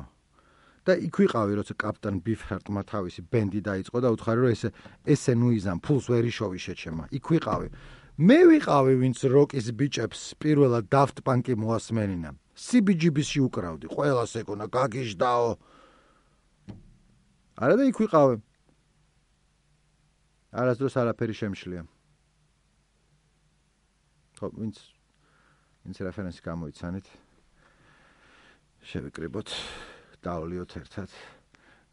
და იქ ვიყავი, როცა კაპიტან ბიფჰარტმა თავისი ბენდი დაიწყო და უთხარი რომ ესე ნუიზამ ფულს ვერ იშოვი შეჩემა. იქ ვიყავი. მე ვიყავი, ვინც როკის ბიჭებს პირველად Daft Punk-ი მოასმენინა. CBGB-ში უკრავდი, ყველას ეკონა გაგიჟდაო. არა და იქ ვიყავი. არასდროს არაფერი შემშლია. ხო, ვინც რეფერენსი გამოიცანით. შევიკრიბოთ, დავლიოთ ერთად.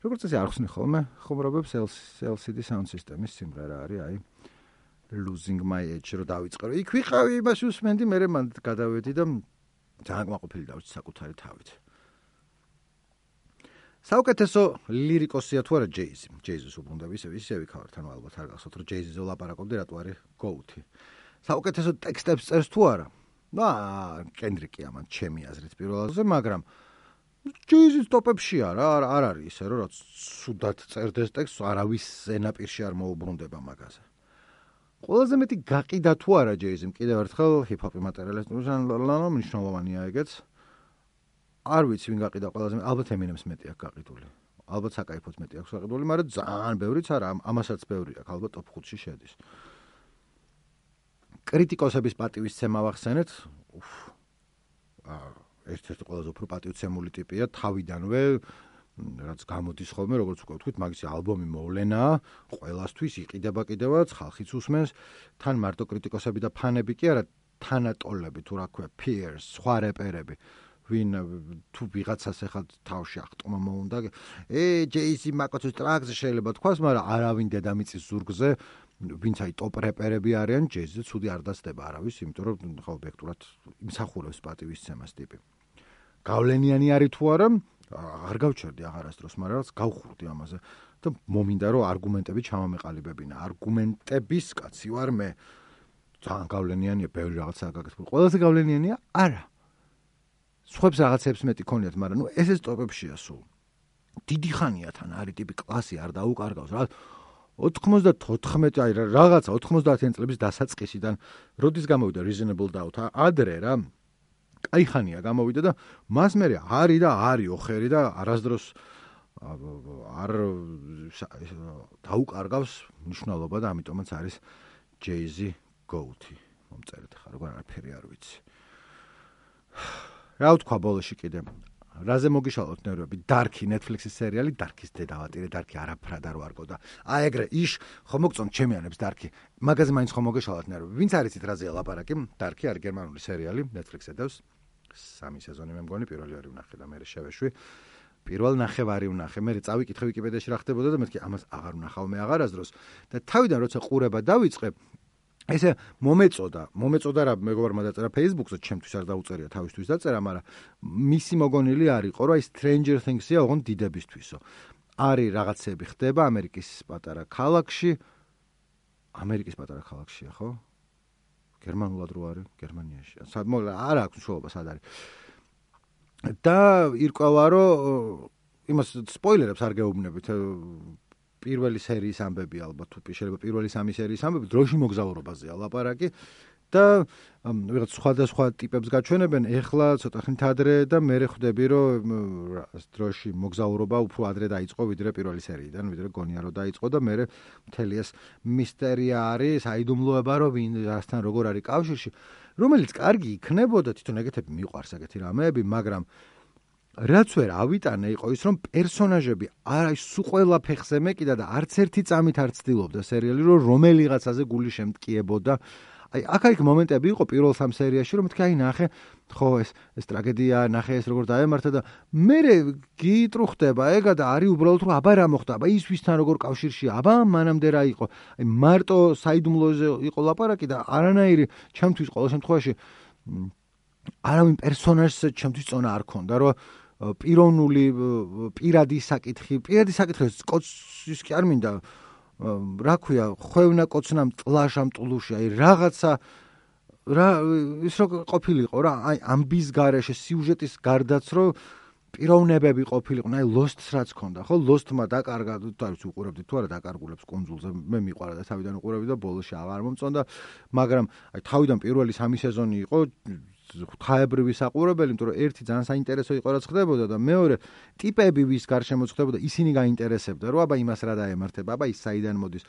როგორც ესე არ ხსნი ხოლმე, ხუმრობებს LCD Sound System-ის სიმღერა არის, აი Losing My Edge რო დავიწყე, რომ იქ ვიყავი, იმაში უსმენდი, მე მან გადავედი და ძალიან კმაყოფილი დავჭი საკუთარი თავით. საუკეთესო ლირიკოსია თუ არა ჯეიზი. ჯეიზის უბრუნდები ისე ვიქავართ, ანუ ალბათ არ გახსოვთ, რომ ჯეიზიზე ვლაპარაკობდი, რატო არის GOAT-ი. საუკეთესო ტექსტებს წერს თუ არა? კენდრიკი ამან ჩემი აზრით პირველზე, მაგრამ ჯეიზის ტოპებში არ არის ისე, რომ რაც სუდად წერდეს ტექსტს, არავის ზენაპირში არ მოუბრუნდება მაგაზე. ყველაზე მეტი გაყიდა თუ არა ჯეიზიმ კიდევ ერთხელ ჰიპ-ჰოპი მატერიალისტურს მნიშვნელოვანია ეგეც. არ ვიცი ვინ გაყიდა ყველაზე ალბათ ემინემს მეტი აქვს გაყიდული. ალბათ საკაიფოც მეტი აქვს გაყიდული, მაგრამ ძალიან ბევრიც არა, ამასაც ბევრი აქვს, ალბათ top 5-ში შედის. კრიტიკოსების პატივისცემა ვახსენეთ. ერთ-ერთი ყველაზე უფრო პატივცემული ტიპია თავიდანვე, რაც გამოდის ხოლმე, როგორც უკვე ვთქვით, მაგისი ალბომი მოვლენაა, ყველასთვის იყიდება კიდევაც, ხალხიც უსმენს, თან მარტო კრიტიკოსები და ფანები კი არა, თანატოლები თუ რა ქვია, peers, სხვა რეპერები. ვინ თუ ვიღაცას ახლა თავში ახტომა მოუნდა ჯეიზი მაკოცის ტრაკზე შეიძლება თქვას, მაგრამ არავინ დედამიწის ზურგზე ვინც აი ტოპ რეპერები არიან ჯეიზზე ცუდი არ დასდება არავის, იმიტომ რომ ხო ობიექტურად იმსახურებს პატივისცემას ტიპი. გავლენიანი არის თუ არა, არ გავჩერდი აღარასდროს, მაგრამ რაც გავხურდი ამაზე და მომინდა რომ არგუმენტები ჩამომეყალიბებინა. არგუმენტების კაცი ვარ მე. ძალიან გავლენიანია, ბევრი რაღაცა გაკეთებული. ყველაზე გავლენიანია არა. სხვებს რაღაცებს მეტი ქონიათ, მაგრამ ნუ ესეც ტოპებშია სულ. დიდი ხანია თან არის ტიპი კლასი არ დაუკარგავს რა. 94 აი რაღაცა 90-იან წლების დასაწყისიდან როდის გამოვიდა Reasonable Doubt ადრე რა. კაი ხანია გამოვიდა და მას მე არის და არის ოხერი და არასდროს არ დაუკარგავს მნიშვნელობა და ამიტომაც არის Jay-Z GOAT-ი. მომწერეთ ხარ, როგორ არაფერი არ ვიცი. რა ვთქვა ბოლოში კიდე? რაზე მოგიშალოთ ნერვები? Dark-ი Netflix-ის სერიალი, Dark-ის დედავატირე, Dark-ი არაფრად არ ვარგო და აი ეგრე ხო მოგწონთ ჩემიანებს Dark-ი. მაგაზე მაინც ხო მოგიშალოთ ნერვები. ვინც არიცით რაზეა ლაპარაკი? Dark-ი არის გერმანული სერიალი, Netflix-ზე დევს. 3 სეზონი მე მგონი, პირველი ორი ვნახე და მე შევეშვი. პირველ ნახევარი ვნახე. მე წავიკითხე Wikipedიაში რა ხდებოდა და მეთქი ამას აღარ ვნახავ მე აღარასდროს. და თავიდან როცა ყურება დავიწყე, ესე მომეწოდა რა მეგობარმა დაწერა Facebook-ზე, ჩემთვის არ დაუწერია, თავისთვის დაწერა, მაგრამ მისი მოგონილი არისო, რომ აი Stranger Things-ია ოღონდ დიდებისთვისო. არის რაღაცები ხდება ამერიკის პატარა ქალაქში. ამერიკის პატარა ქალაქშია, ხო? გერმანულად რო არის, გერმანიაში. არ აქვს მნიშვნელობა სად არის. და ირკვევა, რომ იმას სპოილერებს არ გეუბნებით. პირველი სერიის ამბები ალბათ თუ შეიძლება პირველი 3 სერიის ამბები დროში მოგზაურობაზეა ლაპარაკი და ვიღაც სხვადასხვა ტიპებს გაჩვენებენ ეხლა ცოტა ხნით ადრე და მე ხვდები რომ დროში მოგზაურობა უფრო ადრე დაიწყო ვიდრე პირველი სერიიდან, ვიდრე გონია რომ დაიწყო და მე მთელი ეს მისტერია არის, აიდუმლოება რომ ვინ რასთან როგორ არის კავშირში, რომელიც კარგი იქნებოდა, თვითონ ეგეთები მიყვარს ეგეთი რამეები, მაგრამ რაც ვერ ავიტანე იყო ის რომ პერსონაჟები არა სულ ყველა ფეხზე მეკიდა და არც ერთი წამით არ ცდილობდა სერიალი რომ რომელიღაცაზე გული შემტკიებოდა. აი აქ მომენტები იყო პირველ 3 სერიაში რომ მეთქი აი ნახე ხო ეს ტრაგედია ნახე ეს როგორ დაემართა და მე გიტრუხდება ეგა და არის უბრალოდ რომ აბა რა მოხდა აბა ის ვისთან როგორ კავშირშია აბა მანამდე რა იყო აი მარტო საიდუმლოზე იყო ლაპარაკი და არანაირი ჩემთვის ყოველ შემთხვევაში არავინ პერსონაჟს ჩემთვის წონა არ ქონდა რომ პირადი საკითხი კოცის კი არ მინდა რა ქვია ხვევნა კოცნამ ტლაშამ ტლუში აი რაღაცა რა ის რო ყოფილიყო რა აი ამბის გარეშე სიუჟეტის გარდაც რო პიროვნებები ყოფილიყვნენ აი Lost-ს რაც ქონდა ხო Lost-მა დაკარგა თავის უყურებდი თუ არა დაკარგულებს კუნძულზე მე მიყვარა და თავიდან უყურებდი და ბოლოში აღარ მომწონდა მაგრამ აი თავიდან პირველი 3 სეზონი იყო ხაებრივი საყურებელი, იმიტომ რომ ერთი ძალიან საინტერესო იყო რაც ხდებოდა და მეორე ტიპები ვის გარშემო ხდებოდა, ისინი გაინტერესებდა, რომ აბა იმას რა დაემართება, აბა ის საიდან მოდის.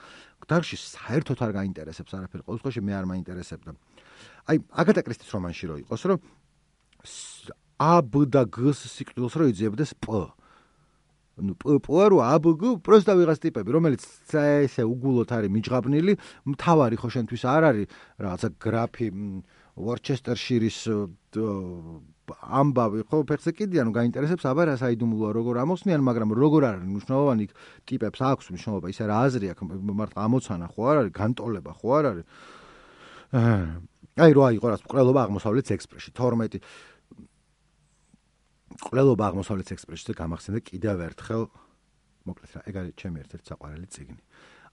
დარგში საერთოდ არ გაინტერესებს არაფერი, ყოველ შემთხვევაში მე არ მაინტერესებდა. აი, აგატა კრისტის რომანში რო იყოს, რომ A, B და G-ს სიკვდილს რო იძიებდეს P. ნუ P რო A, B, G პროსტა ვიღაც ტიპები, რომელიც ესე უგულოდ არის მიჯღაბნილი, მთავარი ხო შენთვის არ არის რაღაცა გრაფი Worcestershire-ის ამბავი ხო ფეხზე კიდიან გაინტერესებს აბა რა საიდუმლოა როგორ ამოსნიან მაგრამ როგორ არის მნიშვნელოვანი ტიპებს აქვს მნიშვნელობა ისე რა აზრი აქვს მარტო ამოცანა ხო არ არის განტოლება ხო არ არის აი რა იყო რა ყრელობა აღმოსავლეთ ექსპრესში 12 ყრელობა აღმოსავლეთ ექსპრესში გამახსენდა კიდევ ერთხელ მოკლედ რა ეგ არის ჩემი ერთ-ერთი საყვარელი წიგნი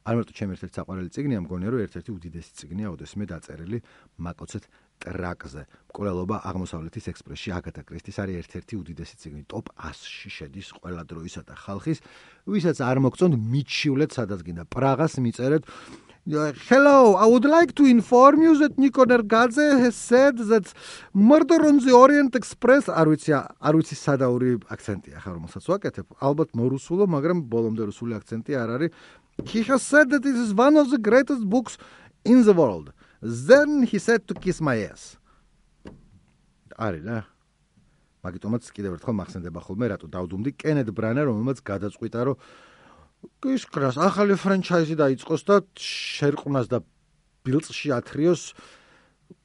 არ მარტო ჩემი ერთ-ერთი საყვარელი წიგნია, მგონია რომ ერთ-ერთი უდიდესი წიგნია ოდესმე დაწერილი მაკოცეთ ტრაკზე. მკვლელობა აღმოსავლეთის ექსპრესში აგატა კრისტის არის ერთ-ერთი უდიდესი წიგნი, ტოპ 100-ში შედის ყველა დროისა და ხალხის, ვისაც არ მოგწონთ მიჩივლეთ სადაც გინდა. პრაღას მიწერეთ Hello, I would like to inform you that Nico Nergadze has said that Murder on the Orient Express არ ვიცი სადაური აქცენტია ხარ რომელსაც ვაკეთებ. ალბათ მორუსულო, მაგრამ ბოლომდე რუსული აქცენტი არ არის. He has said that it is one of the greatest books in the world. Then he said to kiss my ass. არის რა. მაგიტომაც კიდევ ერთხელ მახსენდება ხოლმე რატო დავდუმდი კენედ ბრანა რომელმაც გადაწყვიტა რომ ისკრას ახალი ფრანჩაიზი დაიწყოს და შერყვნას და ბილწში ათრიოს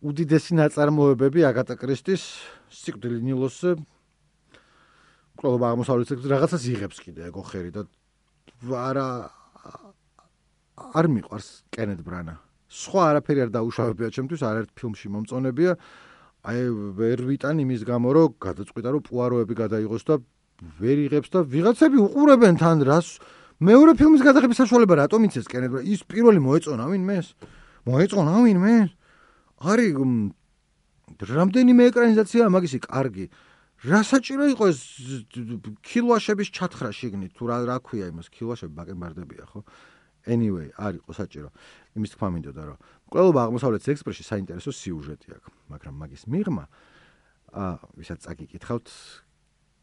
უდიდესი ნაწარმოებები აგატა კრისტის სიკვდილი ნილოსზე ყველა აღმოსავლეთის რაღაცას იღებს კიდე ეგო ხერი და არ მიყვარს კენედ ბრანა სხვა არაფერი არ დაუშავებია ჩემთვის არაერთ ფილმში მომწონებია აი ვერ ვიტან იმის გამო რომ გადაწყვიტა რომ პუაროები გადაიღოს და ვერ იღებს და ვიღაცები უყურებენ თან რას მეორე ფილმის გადაღების საშუალება რატომ იცეს კენედ ბრანა ის პირველი მოეწონა ვინმე არის რამდენიმე ეკრანიზაცია მაგისი კარგი რა საჭირო იყო ეს ქილვაშების ჩათხრა შიგნით თუ რა ქვია იმას ქილვაშები ბაკენბარდებია ხო anyway არ იყო საჭირო იმის თქმა მინდოდა რომ ყველა აღმოსავლეთის ექსპრესში საინტერესო სიუჟეტი აქვს მაგრამ მაგის მიღმა ვისაც წაგიკითხავთ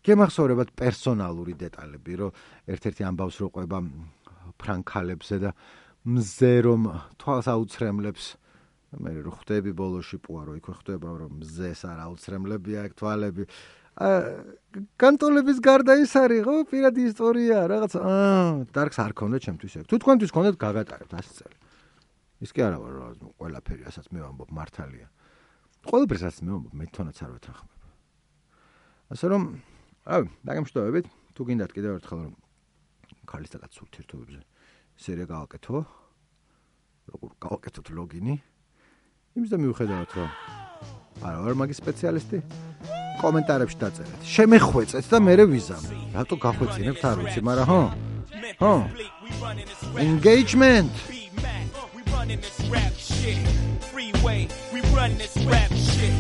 გემახსოვრებათ პერსონალური დეტალები რომ ერთ-ერთი ამბავს რო ყვება ფრანკალებზე და მზე რომ თვალს აუცრემლებს მე რო ხვდები ბოლოში პუარო იქ ხვდება რომ მზეს არ აუცრემლებია ეგ თვალები კანტოლების გარდა ის არის ხო პირადი ისტორია რაღაც დარგს არ ქონდა ჩემთვის ეგ თუ თქვენთვის ქონდეთ გაგატარებთ 100 წელი ის კი არა ვარ რომ ყველაფერი ასაც მე ვამბობ მართალია ყველაფერს რაც მე ვამბობ მე თვითონაც არ ვეთანხმებ ასე რომ დაგემშვიდობებით თუ გინდათ კიდევ ერთხელ რომ ქალის და კაცის ურთიერთობებზე სერია გავაკეთო როგორ გავაკეთოთ ლოგინი იმის და მიუხედავად რომ არა ვარ მაგის სპეციალისტი კომენტარებში დაწერეთ შემეხვეწეთ და მე ვიზამ რატო გახვეწინებთ არ ვიცი მაგრამ ხო engagement we run this rap shit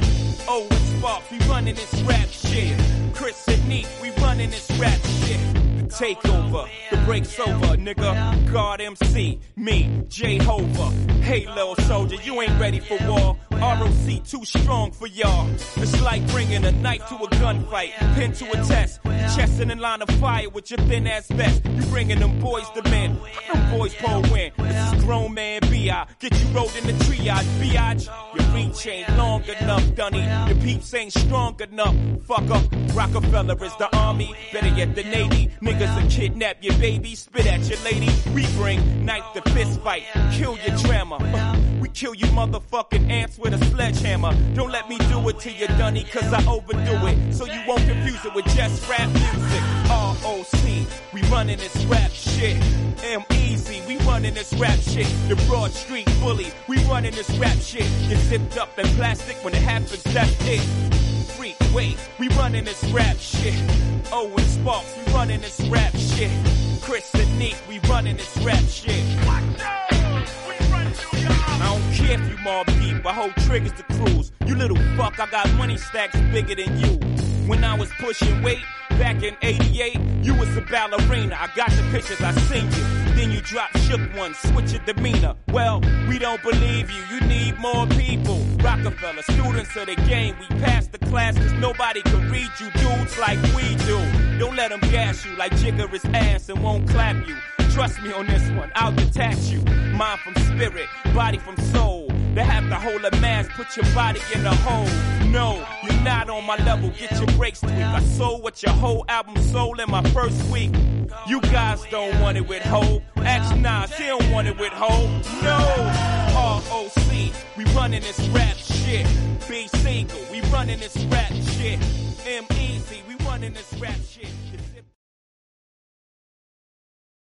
oh it's Sparks we running this rap shit Chris and Neat we running this rap shit the takeover the break's over nigga God MC me Jehovah hey little soldier you ain't ready for war ROC too strong for y'all it's like bringing a knife to a gunfight pin to a test chest in a line of fire with your thin ass vest you bringing them boys to men them boys pull win this is grown man B.I. get you rolled in the triage biatch your reach ain't long enough dunny your peeps ain't strong enough fuck up Rockefeller is the army better yet the Navy niggas will kidnap your baby spit at your lady we bring knife to fist fight kill your drama we kill you motherfucking ants with a sledgehammer don't let me do it to you dunny cause I overdo it so you won't confuse it with just rap music ROC we running this rap shit M-Easy we running this rap shit the Broad Street Bully we running this rap shit get zipped up in plastic when it happens that's it Freeway we running this rap shit oh and Sparks we running this rap shit Chris and Neat we running this rap shit I don't care if you mob deep, I hold triggers to cruise. You little fuck, I got money stacks bigger than you. When I was pushing weight, back in 88, you was a ballerina. I got the pictures, I seen you. Then you dropped shook one, switch your demeanor. Well, we don't believe you, you need more people. Rockefeller, students of the game, we passed the class cause nobody can read you dudes like we do. Don't let them gas you like Jigger's ass and won't clap you. Trust me on this one, I'll detach you. Mind from spirit, body from soul. They have to hold a mask, put your body in a hole. No, you're not on my level, get your breaks tweaked. I sold what your whole album sold in my first week. You guys don't want it with Ho. Ask Nas, he don't want it with Ho. No, ROC, we running this rap shit. B. Single, we running this rap shit. M-Easy, we running this rap shit.